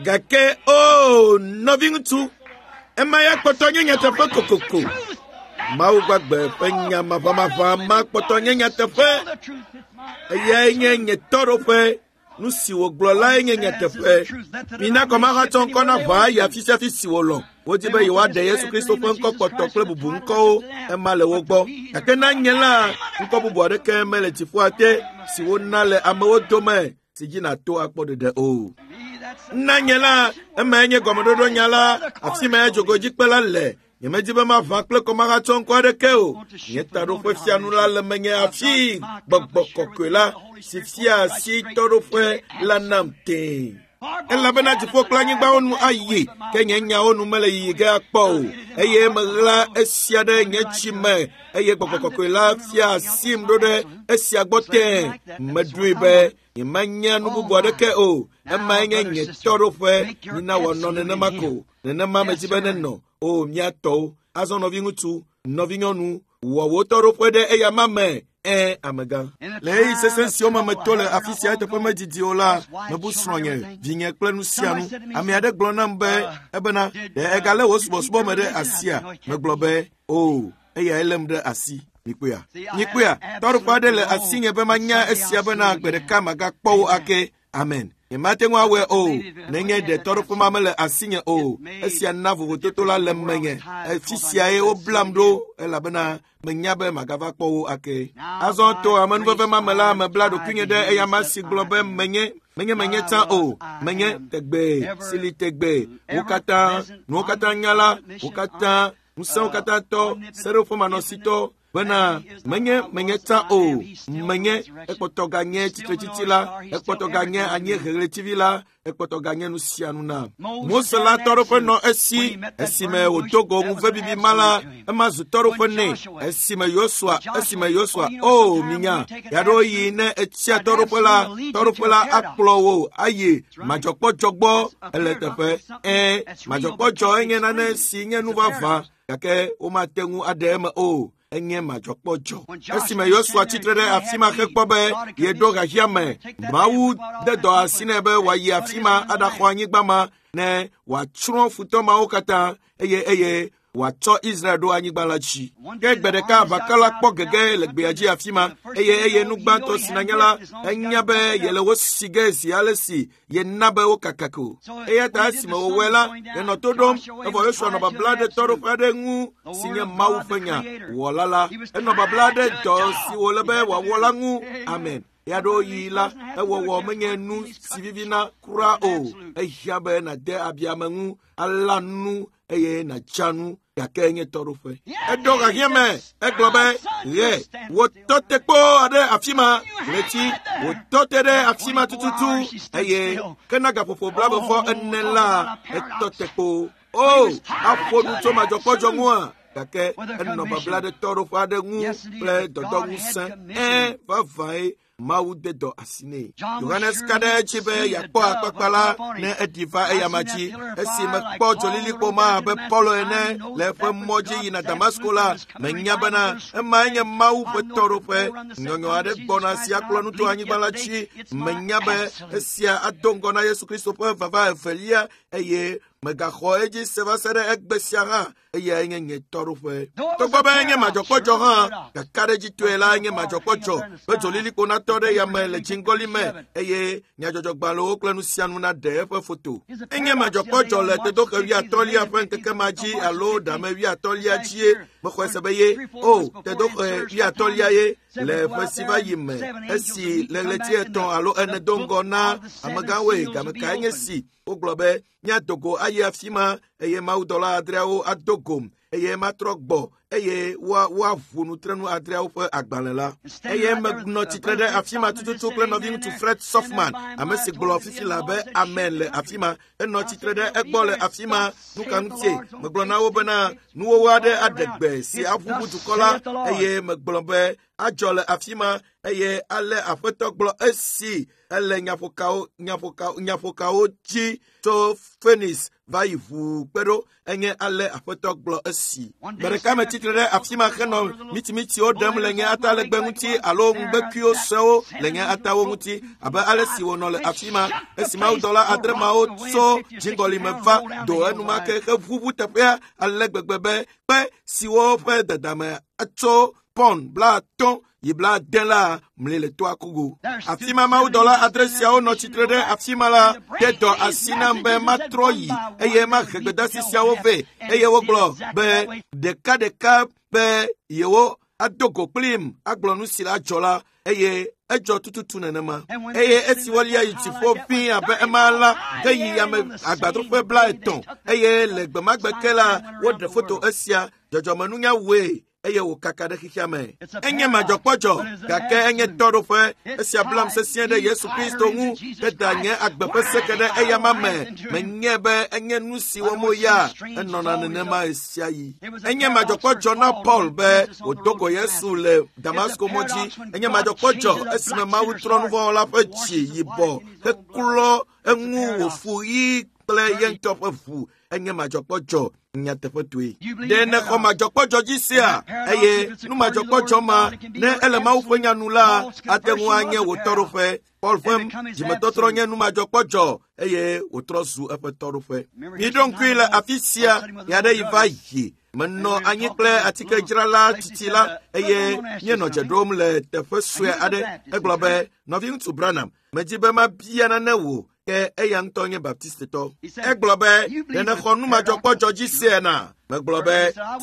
Gake o, nɔviŋutsu, ema ya kpɔtɔ nye nyateƒe kokoko. Mawu gbagbe ƒe nya maʋamaʋã ma kpɔtɔ nye nyateƒe. Eyae nye nye tɔɖoƒe. Nu si wògblɔ lae nye nyateƒe. Mina kɔmahatsɔ ŋkɔ na ʋã yi afi sia afi si wòlɔ̃. Wodi be yewoaɖe Yesu Kristo ƒe ŋkɔ kpɔtɔ kple bubu ŋkɔwo, ema le wo gbɔ. Gake na nye la, ŋkɔ bubu aɖeke mele dziƒoa te si wona le amewo dome si dzi nàto akpɔ ɖeɖe o. Na nye la, emae nye gɔmeɖoɖo nya la, afi mae dzogoedzikpe la le. Nyemedi be maʋã kple kɔmahatsɔ ŋkɔ aɖeke o. Nye taɖoƒe fianu la le menye afi gbɔgbɔ kɔkɔe la si fia asi tɔɖoƒe la nam tẽe. Elabena dziƒo kple anyigbawo nu ayi, ke nye nyawo nu mele yiyi ge akpɔ o. Eye meɣla esia ɖe nye tsi me, eye gbɔgbɔ kɔkɔe la fia asim ɖo ɖe esia gbɔ tẽe. Meɖoe be nyemanya nu bubu aɖeke o. Emae nye nye tɔɖoƒe. Mina wòanɔ nenema ko. Nenema medzi be nenɔ. O, mía tɔwo. Azɔ nɔviŋutsu, nɔvinyɔnu, wɔ wò tɔɖoƒe ɖe eyama me. Ẽ, amegã. Le ɣeyiɣi sesẽ siwo me meto le afi sia eteƒe medidi o la, mebu srɔ̃nye, vinye kple nu sia nu. Ame aɖe gblɔ nam be, ebena, ɖe egalé wò subɔsubɔ me ɖe asia? Megblɔ be, o, eyae lém ɖe asi. Mikpɔea? Mikpɔea? Tɔɖoƒe aɖe le asinye be manya esia bena gbe ɖeka magakpɔ wo ake. Amen. Nyemate ŋu awɔe o, nenye ɖe tɔɖoƒe ma mele asinye o. Esia na vovototo la le menye. Afi siae woblam ɖo elabena menya be magava kpɔ wo ake. Azɔ to amenuveve ma me la, mebla ɖokuinye ɖe eyama si gblɔ be menye, menye menye tsã o, menye tegbee, si li tegbee. Wo katã, nuwo katã nya la, wo katã, ŋusẽwo katã tɔ, seɖoƒemanɔsitɔ. Bena menye menye tsã o, menye ekpɔtɔ ganye tsitretsitsi la, ekpɔtɔ ganye anyieheɣletivi la, ekpɔtɔ ganye nu sia nu na. Mose la tɔɖoƒe nɔ esi esime wòdo go ŋuvebibi ma la, ema zu tɔɖoƒe nɛ. Esime Yosua, o minya, ɣeaɖewoɣi ne etsia tɔɖoƒe la akplɔ wò ayi madzɔkpɔdzɔ gbɔ ele teƒe. Madzɔkpɔdzɔ enye nane si nye nu vavã, gake womate ŋu aɖe eme o. Enye madzɔkpɔdzɔ. Esime Yosua tsitre ɖe afi ma hekpɔ be yeɖo xexea me, Mawu de dɔ asi nɛ be wòayi afi ma aɖaxɔ anyigba ma ne wòatsrɔ̃ futɔ mawo katã eye wòatsɔ Israel ɖo anyigba la dzi. Ke gbe ɖeka aʋakɔ la kpɔ gege le gbea dzi afi ma eye nu gbãtɔ si nanya la, enya be yele wo si ge zi ale si yena be wokaka ko. Eya ta esime wòwɔe la, yenɔ to ɖom, evɔ Yosua nɔ babla ɖe tɔɖoƒe aɖe ŋu si nye Mawu ƒe nya wɔla la. Enɔ babla ɖe dɔ si wòle be wòawɔ la ŋu. Amen. Ɣeaɖewoɣi la, ewɔwɔ menye nu si vivina kura o. Ehiã be nàde abi ame ŋu, alã nu eye nàtsa nu, gake enye tɔɖoƒe. Eɖo xexea me, egblɔ be, ɣe, wòtɔ te kpoo ɖe afi ma, ɣleti, wòtɔ te ɖe afi ma tututu, eye ke na gaƒoƒo 24 la, etɔ te kpoo. O, aƒo nu tso madzɔkpɔdzɔ ŋua, gake enɔ babla ɖe tɔɖoƒe aɖe ŋu kple dɔdɔŋusẽ. Vavãe, Mawu de dɔ asi nɛ. Yohanes ka ɖe edzi be yeakpɔ akpakpa la ne eɖi va eyama dzi. Esi mekpɔ dzolilikpo ma abe Paulo ene le eƒe mɔ dzi yina Damasko la, menya bena emae nye Mawu ƒe tɔɖoƒe. Nyɔnyɔ aɖe gbɔna si akplɔ nu to anyigba la dzi. Menya be esia ado ŋgɔ na Yesu Kristo ƒe vava evelia eye megaxɔ edzi se va se ɖe egbe sia hã. Eyae nye nye tɔɖoƒe. Togbɔ be enye madzɔkpɔdzɔ hã, kakaɖedzitɔe la nye madzɔkpɔdzɔ be dzolilikpo natɔ ɖe yame le dziŋgɔli me eye nyadzɔdzɔgbalẽwo kple nu sia nu naɖe eƒe foto. Enye madzɔkpɔdzɔ le tedoxe 80lia ƒe ŋkeke ma dzi alo ɖame 80lia dzie mexɔe se be ye o tedoxe 80lia ye le ƒe si va yi me esi le ɣleti 3 alo 4 do ŋgɔ na amegãwoe game kae nye si wogblɔ be míado go ayi afi ma eye mawudɔla 6 ado gom eye matrɔ gbɔ eye woaʋu nutrenu 6 ƒe agbalẽ la. Eye menɔ tsitre ɖe afi ma tututu kple nɔviŋutsu Fred Softman, ame si gblɔ fifi la be amen le afi ma. Enɔ tsitre ɖe egbɔ le afi ma. Nu ka ŋutie? Megblɔ na wo bena nuwɔwɔ aɖe aɖe gbe si aʋuʋu dukɔ la eye megblɔ be adzɔ le afi ma eye ale Aƒetɔ gblɔ esi ele nyaƒokawo dzi tso Phoenix va yi ʋuu kpe ɖo enye ale Aƒetɔ gblɔ esi. Gbe ɖeka metsitre ɖe afi ma henɔ mitimitiwo ɖem le nye atalegbe ŋuti alo ŋugbekuiwo suewo le nye atawo ŋuti abe ale si wònɔ le afi ma esi mawudɔla 6 mawo tso dziŋgɔli me va do enumake heʋuʋu teƒea ale gbegbe be kpe siwo ƒe dadame tso pɔn 50 yi 80 la mli le toa kogo. Afi ma mawudɔla 6 siawo nɔ tsitre ɖe afi ma la de dɔ asi nam be matrɔ yi eye mahe gbedasi siawo vɛ eye wogblɔ be ɖekaɖeka be yewo ado go kplim agblɔ nu si la dzɔ la eye edzɔ tututu nenema. Eye esi wolia yi dziƒo ʋĩi abe ema la heyi yame agbadroƒe 30 eye le gbemagbe ke la woɖe foto esia dzɔdzɔmenunya wɔe eye wòkaka ɖe xexea me. Enye madzɔkpɔdzɔ, gake enye tɔɖoƒe. Esia blam sesĩe ɖe Yesu Kristo ŋu heda nye agbe ƒe seke ɖe eyama me. Menye be enye nu si wɔm woya, enɔna nenema ɣesiaɣi. Enye madzɔkpɔdzɔ na Paul be wòdo go Yesu le Damasko mɔ dzi. Enye madzɔkpɔdzɔ esime Mawu trɔ nuvɔ̃wɔla ƒe dzi yibɔ heklɔ eŋu wòfu ɣi kple ye ŋutɔ ƒe ʋu. Enye madzɔkpɔdzɔ nyateƒetoe. Ɖe nexɔ madzɔkpɔdzɔ dzi sia eye nu madzɔkpɔdzɔ ma ne ele Mawu ƒe nya nu la ate ŋu anye wò tɔɖoƒe. Paul ƒe dzimetɔtrɔ nye nu madzɔkpɔdzɔ eye wòtrɔ zu eƒe tɔɖoƒe. Miɖo ŋkui le afi sia ɣeaɖeɣi va yi. Menɔ anyi kple atikedzrala tsitsi la eye míenɔ dze ɖom le teƒe sue aɖe. Egblɔ be, nɔviŋutsu Branham, medzi be mabia nane wò ke eya ŋutɔ nye Baptistetɔ. Egblɔ be, ɖe nexɔ nu madzɔkpɔdzɔ dzi sia na? Megblɔ be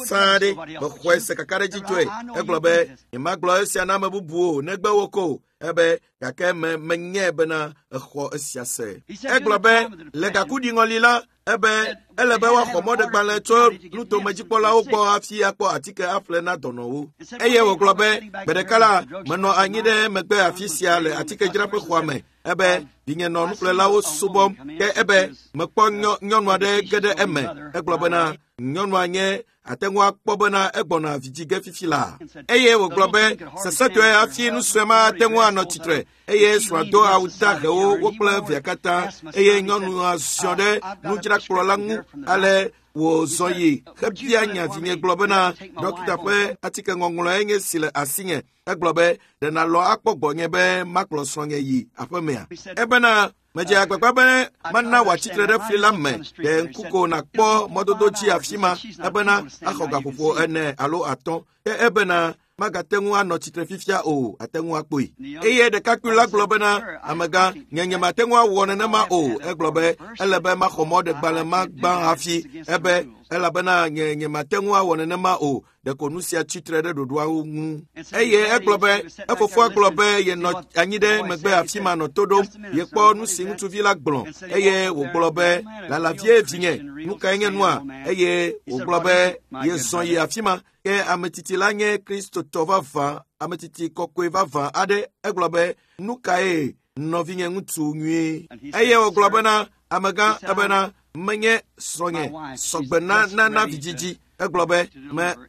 sãa ɖe mexɔe se kakaɖedzitɔe. Egblɔ be nyemagblɔ esia na ame bubuwo o negbe wo ko. Ebe gake me menyae bena exɔ esia se. Egblɔ be le gakuɖiŋɔli la ebe ele be woaxɔ mɔɖegbalẽ tso nutomedzikpɔlawo gbɔ hafi akpɔ atike aƒle na dɔnɔwo. Eye wògblɔ be gbe ɖeka la menɔ anyi ɖe megbe afi sia le atikedzraƒe xɔa me ebe vinye nɔ nuƒlelawo subɔm ke ebe mekpɔ nyɔnu aɖe ge ɖe eme. Egblɔ bena nyɔnua nye ate ŋu akpɔ bena egbɔna vidzi ge fifi la. Eye wògblɔ be sesẽtɔe hafi nu sue ma ate ŋu anɔ tsitre eye srɔ̃a do awu dahewo wo kple via katã eye nyɔnua ziɔ ɖe nudzrakplɔ la ŋu ale wòzɔ yi hebia nya vinye gblɔ bena dɔkita ƒe atike ŋɔŋlɔe nye si le asinye. Egblɔ be ɖe nàlɔ akpɔ gbɔnye be makplɔ srɔ̃nye yi aƒemea. Ebena medze agbagba be mana wòatsitre ɖe fli la me ɖe ŋku ko nàkpɔ mɔdodo dzi afi ma ebena axɔ gaƒoƒo 4 alo 5 ke ebena magate ŋu anɔ tsitre fifia o ate ŋu akpɔe. Eye ɖekakpui la gblɔ bena amegã nye nyemate ŋu awɔ nenema o. Egblɔ be ele be maxɔ mɔɖegbalẽ ma gbã hafi ebe elabena nye nyemate ŋu awɔ nenema o. Ɖeko nu sia tsitre ɖe ɖoɖoawo ŋu. Eye egblɔ be efofoa gblɔ be yenɔ anyi ɖe megbe afi ma nɔ to ɖom yekpɔ nu si ŋutsuvi la gblɔ eye wògblɔ be lala vie vinye nu kae nye nua eye wògblɔ be yezɔ yi afi ma ke ametiti la nye kristotɔ vavã ametiti kɔkɔe vavã aɖe. Egblɔ be nu kae nɔvinye ŋutsu nyuie eye wògblɔ bena amegã ebena menye srɔ̃nye sɔgbe na nana vidzidzi. Egblɔ be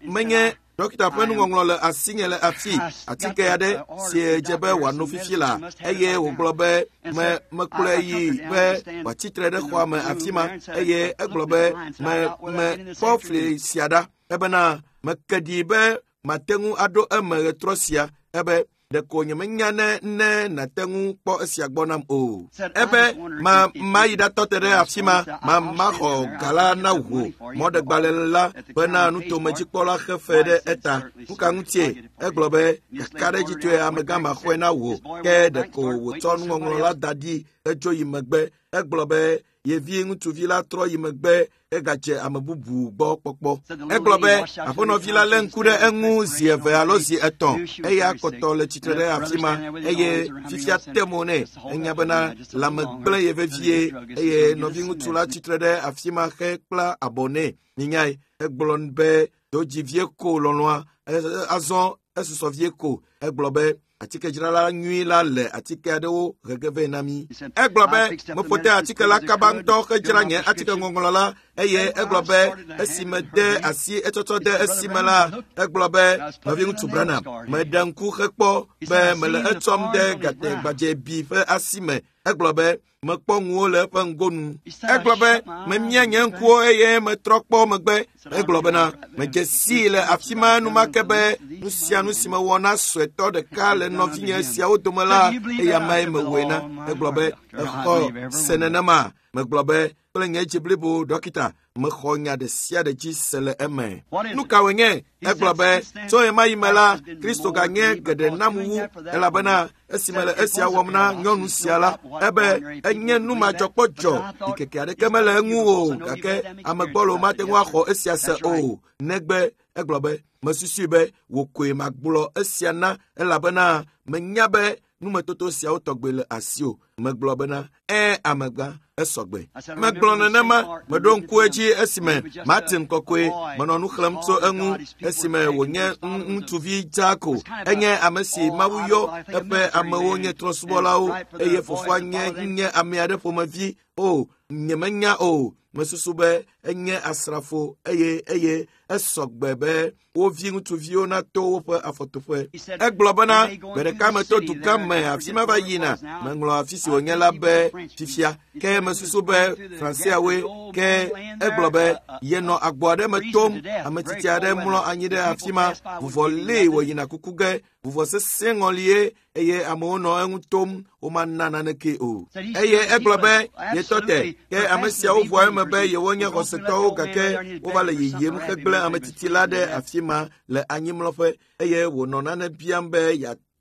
menye dɔkita ƒe nuŋɔŋlɔ le asinye le afi atike aɖe si dze be wòano fifi la eye wògblɔ be mekplɔe yi be wòatsitre ɖe xɔa me afi ma eye egblɔ be mekpɔ fli sia ɖa ebena meke ɖi be mate ŋu aɖo eme ɣetrɔ sia ebe ɖeko nyemenya ne nàte ŋu kpɔ esia gbɔ nam o. Ebe mayi ɖatɔ te ɖe afi ma maxɔ ga la na wò mɔɖegbalẽ la bena nutomedzikpɔla xe fe ɖe eta. Nu ka ŋutie? Egblɔ be kakaɖedzitɔe amegã maxɔe na wò ke ɖeko wòtsɔ nuŋɔŋlɔ la da ɖi hedzo yi megbe. Egblɔ be yevi ŋutsuvi la trɔ yi megbe egadze ame bubu gbɔ kpɔkpɔ. Egblɔ be aƒenɔvi la lé ŋku ɖe eŋu zi 2 alo zi 3 eya kpɔtɔ le tsitre ɖe afi ma eye fifia te mo nɛ. Enya bena lãme gblẽ ye vevie eye nɔviŋutsu la tsitre ɖe afi ma hekpla abɔ nɛ. Minyae egblɔ be do dzi vie ko lɔlɔ̃a azɔ esusɔ vie ko. Egblɔ be atikedzrala nyui la le atike aɖewo hege vɛ na mí. Egblɔ be meƒo te atike la kaba ŋutɔ hedzra nye atike ŋɔŋlɔ la eye egblɔ be esi mede asi etsɔtsɔ de esime la egblɔ be nɔviŋutsu Branham meɖe ŋku hekpɔ be mele etsɔm de gategbadzebi ƒe asi me. Egblɔ be mekpɔ ŋuwo le eƒe ŋgonu. Egblɔ be memia nye ŋkuwo eye metrɔ kpɔ megbe. Egblɔ bena medze sii le afi ma enumake be nu sia nu si mewɔ na suetɔ ɖeka le nɔvinye siawo dome la eya mae mewɔe na. Egblɔ be exɔ se nenema. Megblɔ be kple nye dzi blibo dɔkita mexɔ nya ɖe sia ɖe dzi se le eme. Nu ka wònye? Egblɔ be tso ɣemaɣi me la Kristo ganye geɖe nam wu elabena esime le esia wɔm na nyɔnu sia la ebe enye nu madzɔkpɔdzɔ ɖikeke aɖeke mele eŋu o gake ame gbɔlo mate ŋu axɔ esia se o negbe egblɔ be mesusui be wò koe magblɔ esia na elabena menya be numetoto siawo tɔgbe le asiwò. Megblɔ bena amegã esɔgbe. Megblɔ nenema meɖo ŋku edzi esime Martin kɔkɔe menɔ nu xlẽm tso eŋu esime wònye ŋutsuvi dzaa ko. Enye ame si Mawu yɔ eƒe amewo nye trɔ̃subɔlawo eye fofoa nye ame aɖe ƒomevi o nyemenya o. Mesusu be enye asrafo eye esɔgbe be wo vi ŋutsuviwo nato woƒe afɔtoƒe. Egblɔ bena gbe ɖeka meto dugã me afi ma va yina meŋlɔ afi si wònye la be fifia ke mesusu be Franseawoe ke egblɔ be yenɔ agbo aɖe me tom ametsitsi aɖe mlɔ anyi ɖe afi ma vuvɔ lée wòyina kuku ge vuvɔ sesẽ ŋɔlie eye amewo nɔ eŋu tom womana naneke o. Eye egblɔ be yetɔ te ke ame siawo ʋua eme be yewonye xɔsetɔwo gake wova le yiyim hegblẽ ametsitsi la ɖe afi ma le anyimlɔƒe eye wònɔ nane biam be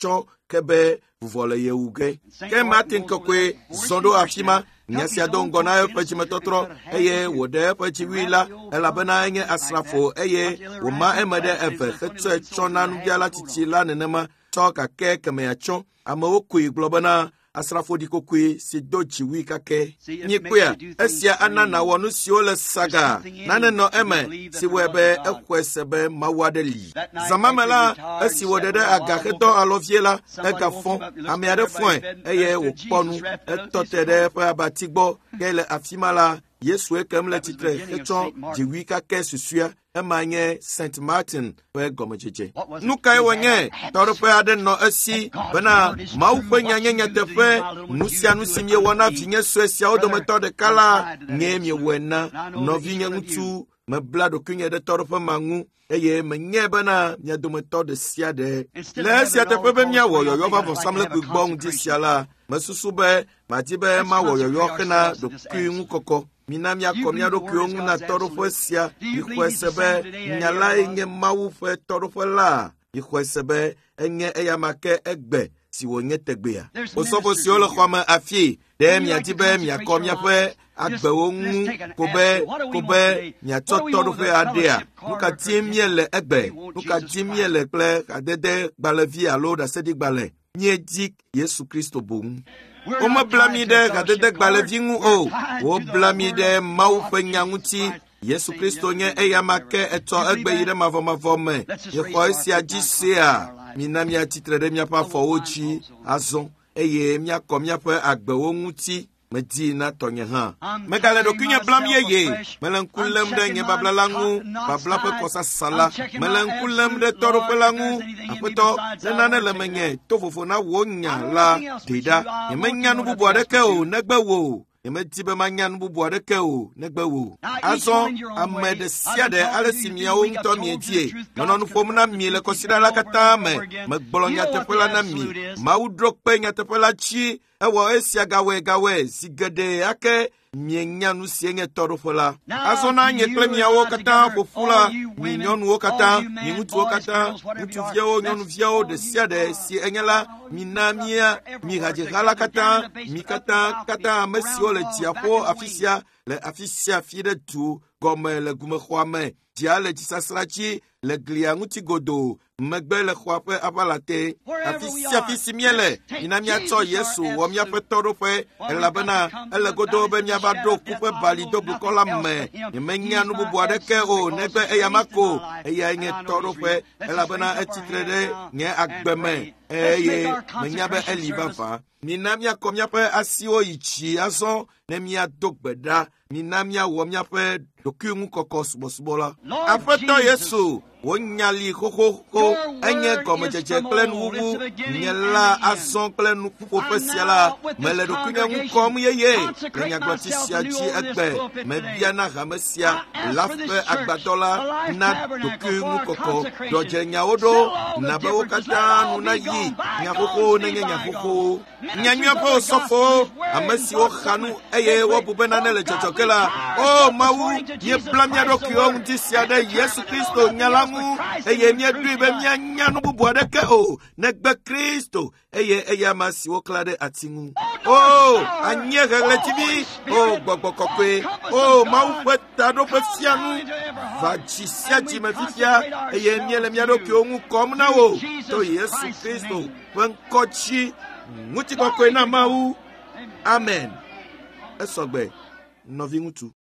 tsɔ ke be vuvɔ le ye wu ge. Ke Martin kɔkɔe zɔ ɖo afi ma. Nya sia do ŋgɔ na eƒe dzimetɔtrɔ eye wòɖe eƒe dziwui la elabena enye asrafo eye wòma eme ɖe eve hetsɔe tsɔ na nubiala tsitsi la nenema tsɔ gake kemea tsɔ. Amewo koe gblɔ bena asrafo ɖikokoe si do dziwui kake. Nyikpɔea, esia ana nàwɔ nu siwo le saga nane nɔ eme si wɔe be exɔe se be Mawu aɖe li. Zã me la, esi wòɖe ɖe aga hedɔ alɔ vie la, egafɔ. Ame aɖe fɔe eye wòkpɔ nu. Etɔ te ɖe eƒe abati gbɔ ke le afi ma la, Yesu ekem le tsitre hetsɔ dziwui kake susɔea. Ema nye St. Martin ƒe gɔmedzedze. Nu kae wònye? Tɔɖoƒe aɖe nɔ esi bena Mawu ƒe nya nye nyateƒe. Nu sia nu si miewɔ na vinye sue siawo dometɔ ɖeka la, nyee miewɔe na. Nɔvinye ŋutsu, mebla ɖokuinye ɖe tɔɖoƒe ma ŋu eye menyae bena mia dometɔ ɖe sia ɖe. Le esia teƒe be míawɔ yɔyɔ va vɔsamlekpui gbɔ ŋdi sia la, mesusu be madi be mawɔ yɔyɔ hena ɖokuiŋukɔkɔ. Mina míakɔ mía ɖokuiwo ŋu na tɔɖoƒe sia. Mixɔe se be nya lae nye Mawu ƒe tɔɖoƒe la. Mixɔe se be enye eyama ke egbe si wònye tegbea. Osɔfo siwo le xɔa me afii, ɖe miadi be miakɔ miaƒe agbewo ŋu ko be miatsɔ tɔɖoƒe aɖea? Nu ka dim míele egbe? Nu ka dim míele kple hadede gbalẽvi alo ɖaseɖigbalẽ? Míedi Yesu Kristo boŋ. Womebla mí ɖe hadede gbalẽvi ŋu o. Wobla mí ɖe Mawu ƒe nya ŋuti. Yesu Kristo nye eyama ke etsɔ egbe yi ɖe mavɔmavɔ me. Miexɔ esia dzi sea? Mina míatsitre ɖe míaƒe afɔwo dzi azɔ eye míakɔ míaƒe agbewo ŋuti. Medi na tɔnye hã. Megale ɖokuinye blam yeye. Mele ŋku lém ɖe nye babla la ŋu, babla ƒe kɔsasa la. Mele ŋku lém ɖe tɔɖoƒe la ŋu. Aƒetɔ, ne nane le menye to vovo na wò nya la, ɖee ɖa. Nyemenya nu bubu aɖeke o negbe wò. Nyemedi be manya nu bubu aɖeke o negbe wò. Azɔ ame ɖe sia ɖe ale si miawo ŋutɔ miedie. Menɔ nu ƒom na mi le kɔsiɖa la katã me. Megblɔ nyateƒe la na mi. Mawu ɖo kpe nyateƒe la dzi. Ewɔ esia gawɔe zi geɖe ake mienya nu si nye tɔɖoƒe la. Azɔ na nye kple miawo katã ƒo ƒu la, mi nyɔnuwo katã, mi ŋutsuwo katã, ŋutsuviawo, nyɔnuviawo ɖe sia ɖe si enye la, mina mía, mi hadzidzi la katã, mi katã ame siwo le dziaƒo afi sia, le afi sia afi ɖe du gɔme le gumexɔa me, dzia le dzisasra dzi, le glia ŋuti godoo, megbe le xɔa ƒe aʋala te. Afi sia afi si míele, mina míatsɔ Yesu wɔ míaƒe tɔɖoƒe, elabena ele godoo be míava ɖo ku ƒe bali doblukɔ la me. Nyemenya nu bubu aɖeke o negbe eyama ko. Eyae nye tɔɖoƒe, elabena etsitre ɖe nye agbe me eye menya be eli vavã. Mina míakɔ míaƒe asiwo yi dzi azɔ ne míado gbe ɖa. Mina míawɔ míaƒe ɖokuiŋukɔkɔ subɔsubɔ la. Aƒetɔ Yesu, wò nya li xoxoxo, enye gɔmedzedze kple nuwuwu. Nye la azɔ kple nuƒoƒe sia la, mele ɖokuinye ŋu kɔm yeye le nyagblɔtsi sia dzi egbe. Mebia na hame sia la ƒe agbadɔ la na ɖokuiŋukɔkɔ. Ɖɔdzenyawo ɖo, na be wo katã nu nayi. Nya xoxowo nenye nya xoxowo. Nyanyuia ƒe osɔfowo, ame siwo xa nu eye wobu be nane le dzɔdzɔ ge la, o Mawu, míebla mía ɖokuiwo ŋuti sia ɖe Yesu Kristo nya la ŋu eye míeɖoe be míanya nu bubu aɖeke o negbe Kristo eye eyama si woklã ɖe ati ŋu. O anyiehe ɣletivi, o gbɔgbɔ kɔkɔe, o Mawu ƒe taɖoƒe fianu, va dzi sia dzi me fifia eye míele mía ɖokuiwo ŋu kɔm na wò to Yesu Kristo ƒe ŋkɔ dzi. Ŋutikɔkɔe na Mawu. Amen. Esɔgbe, nɔviŋutsu.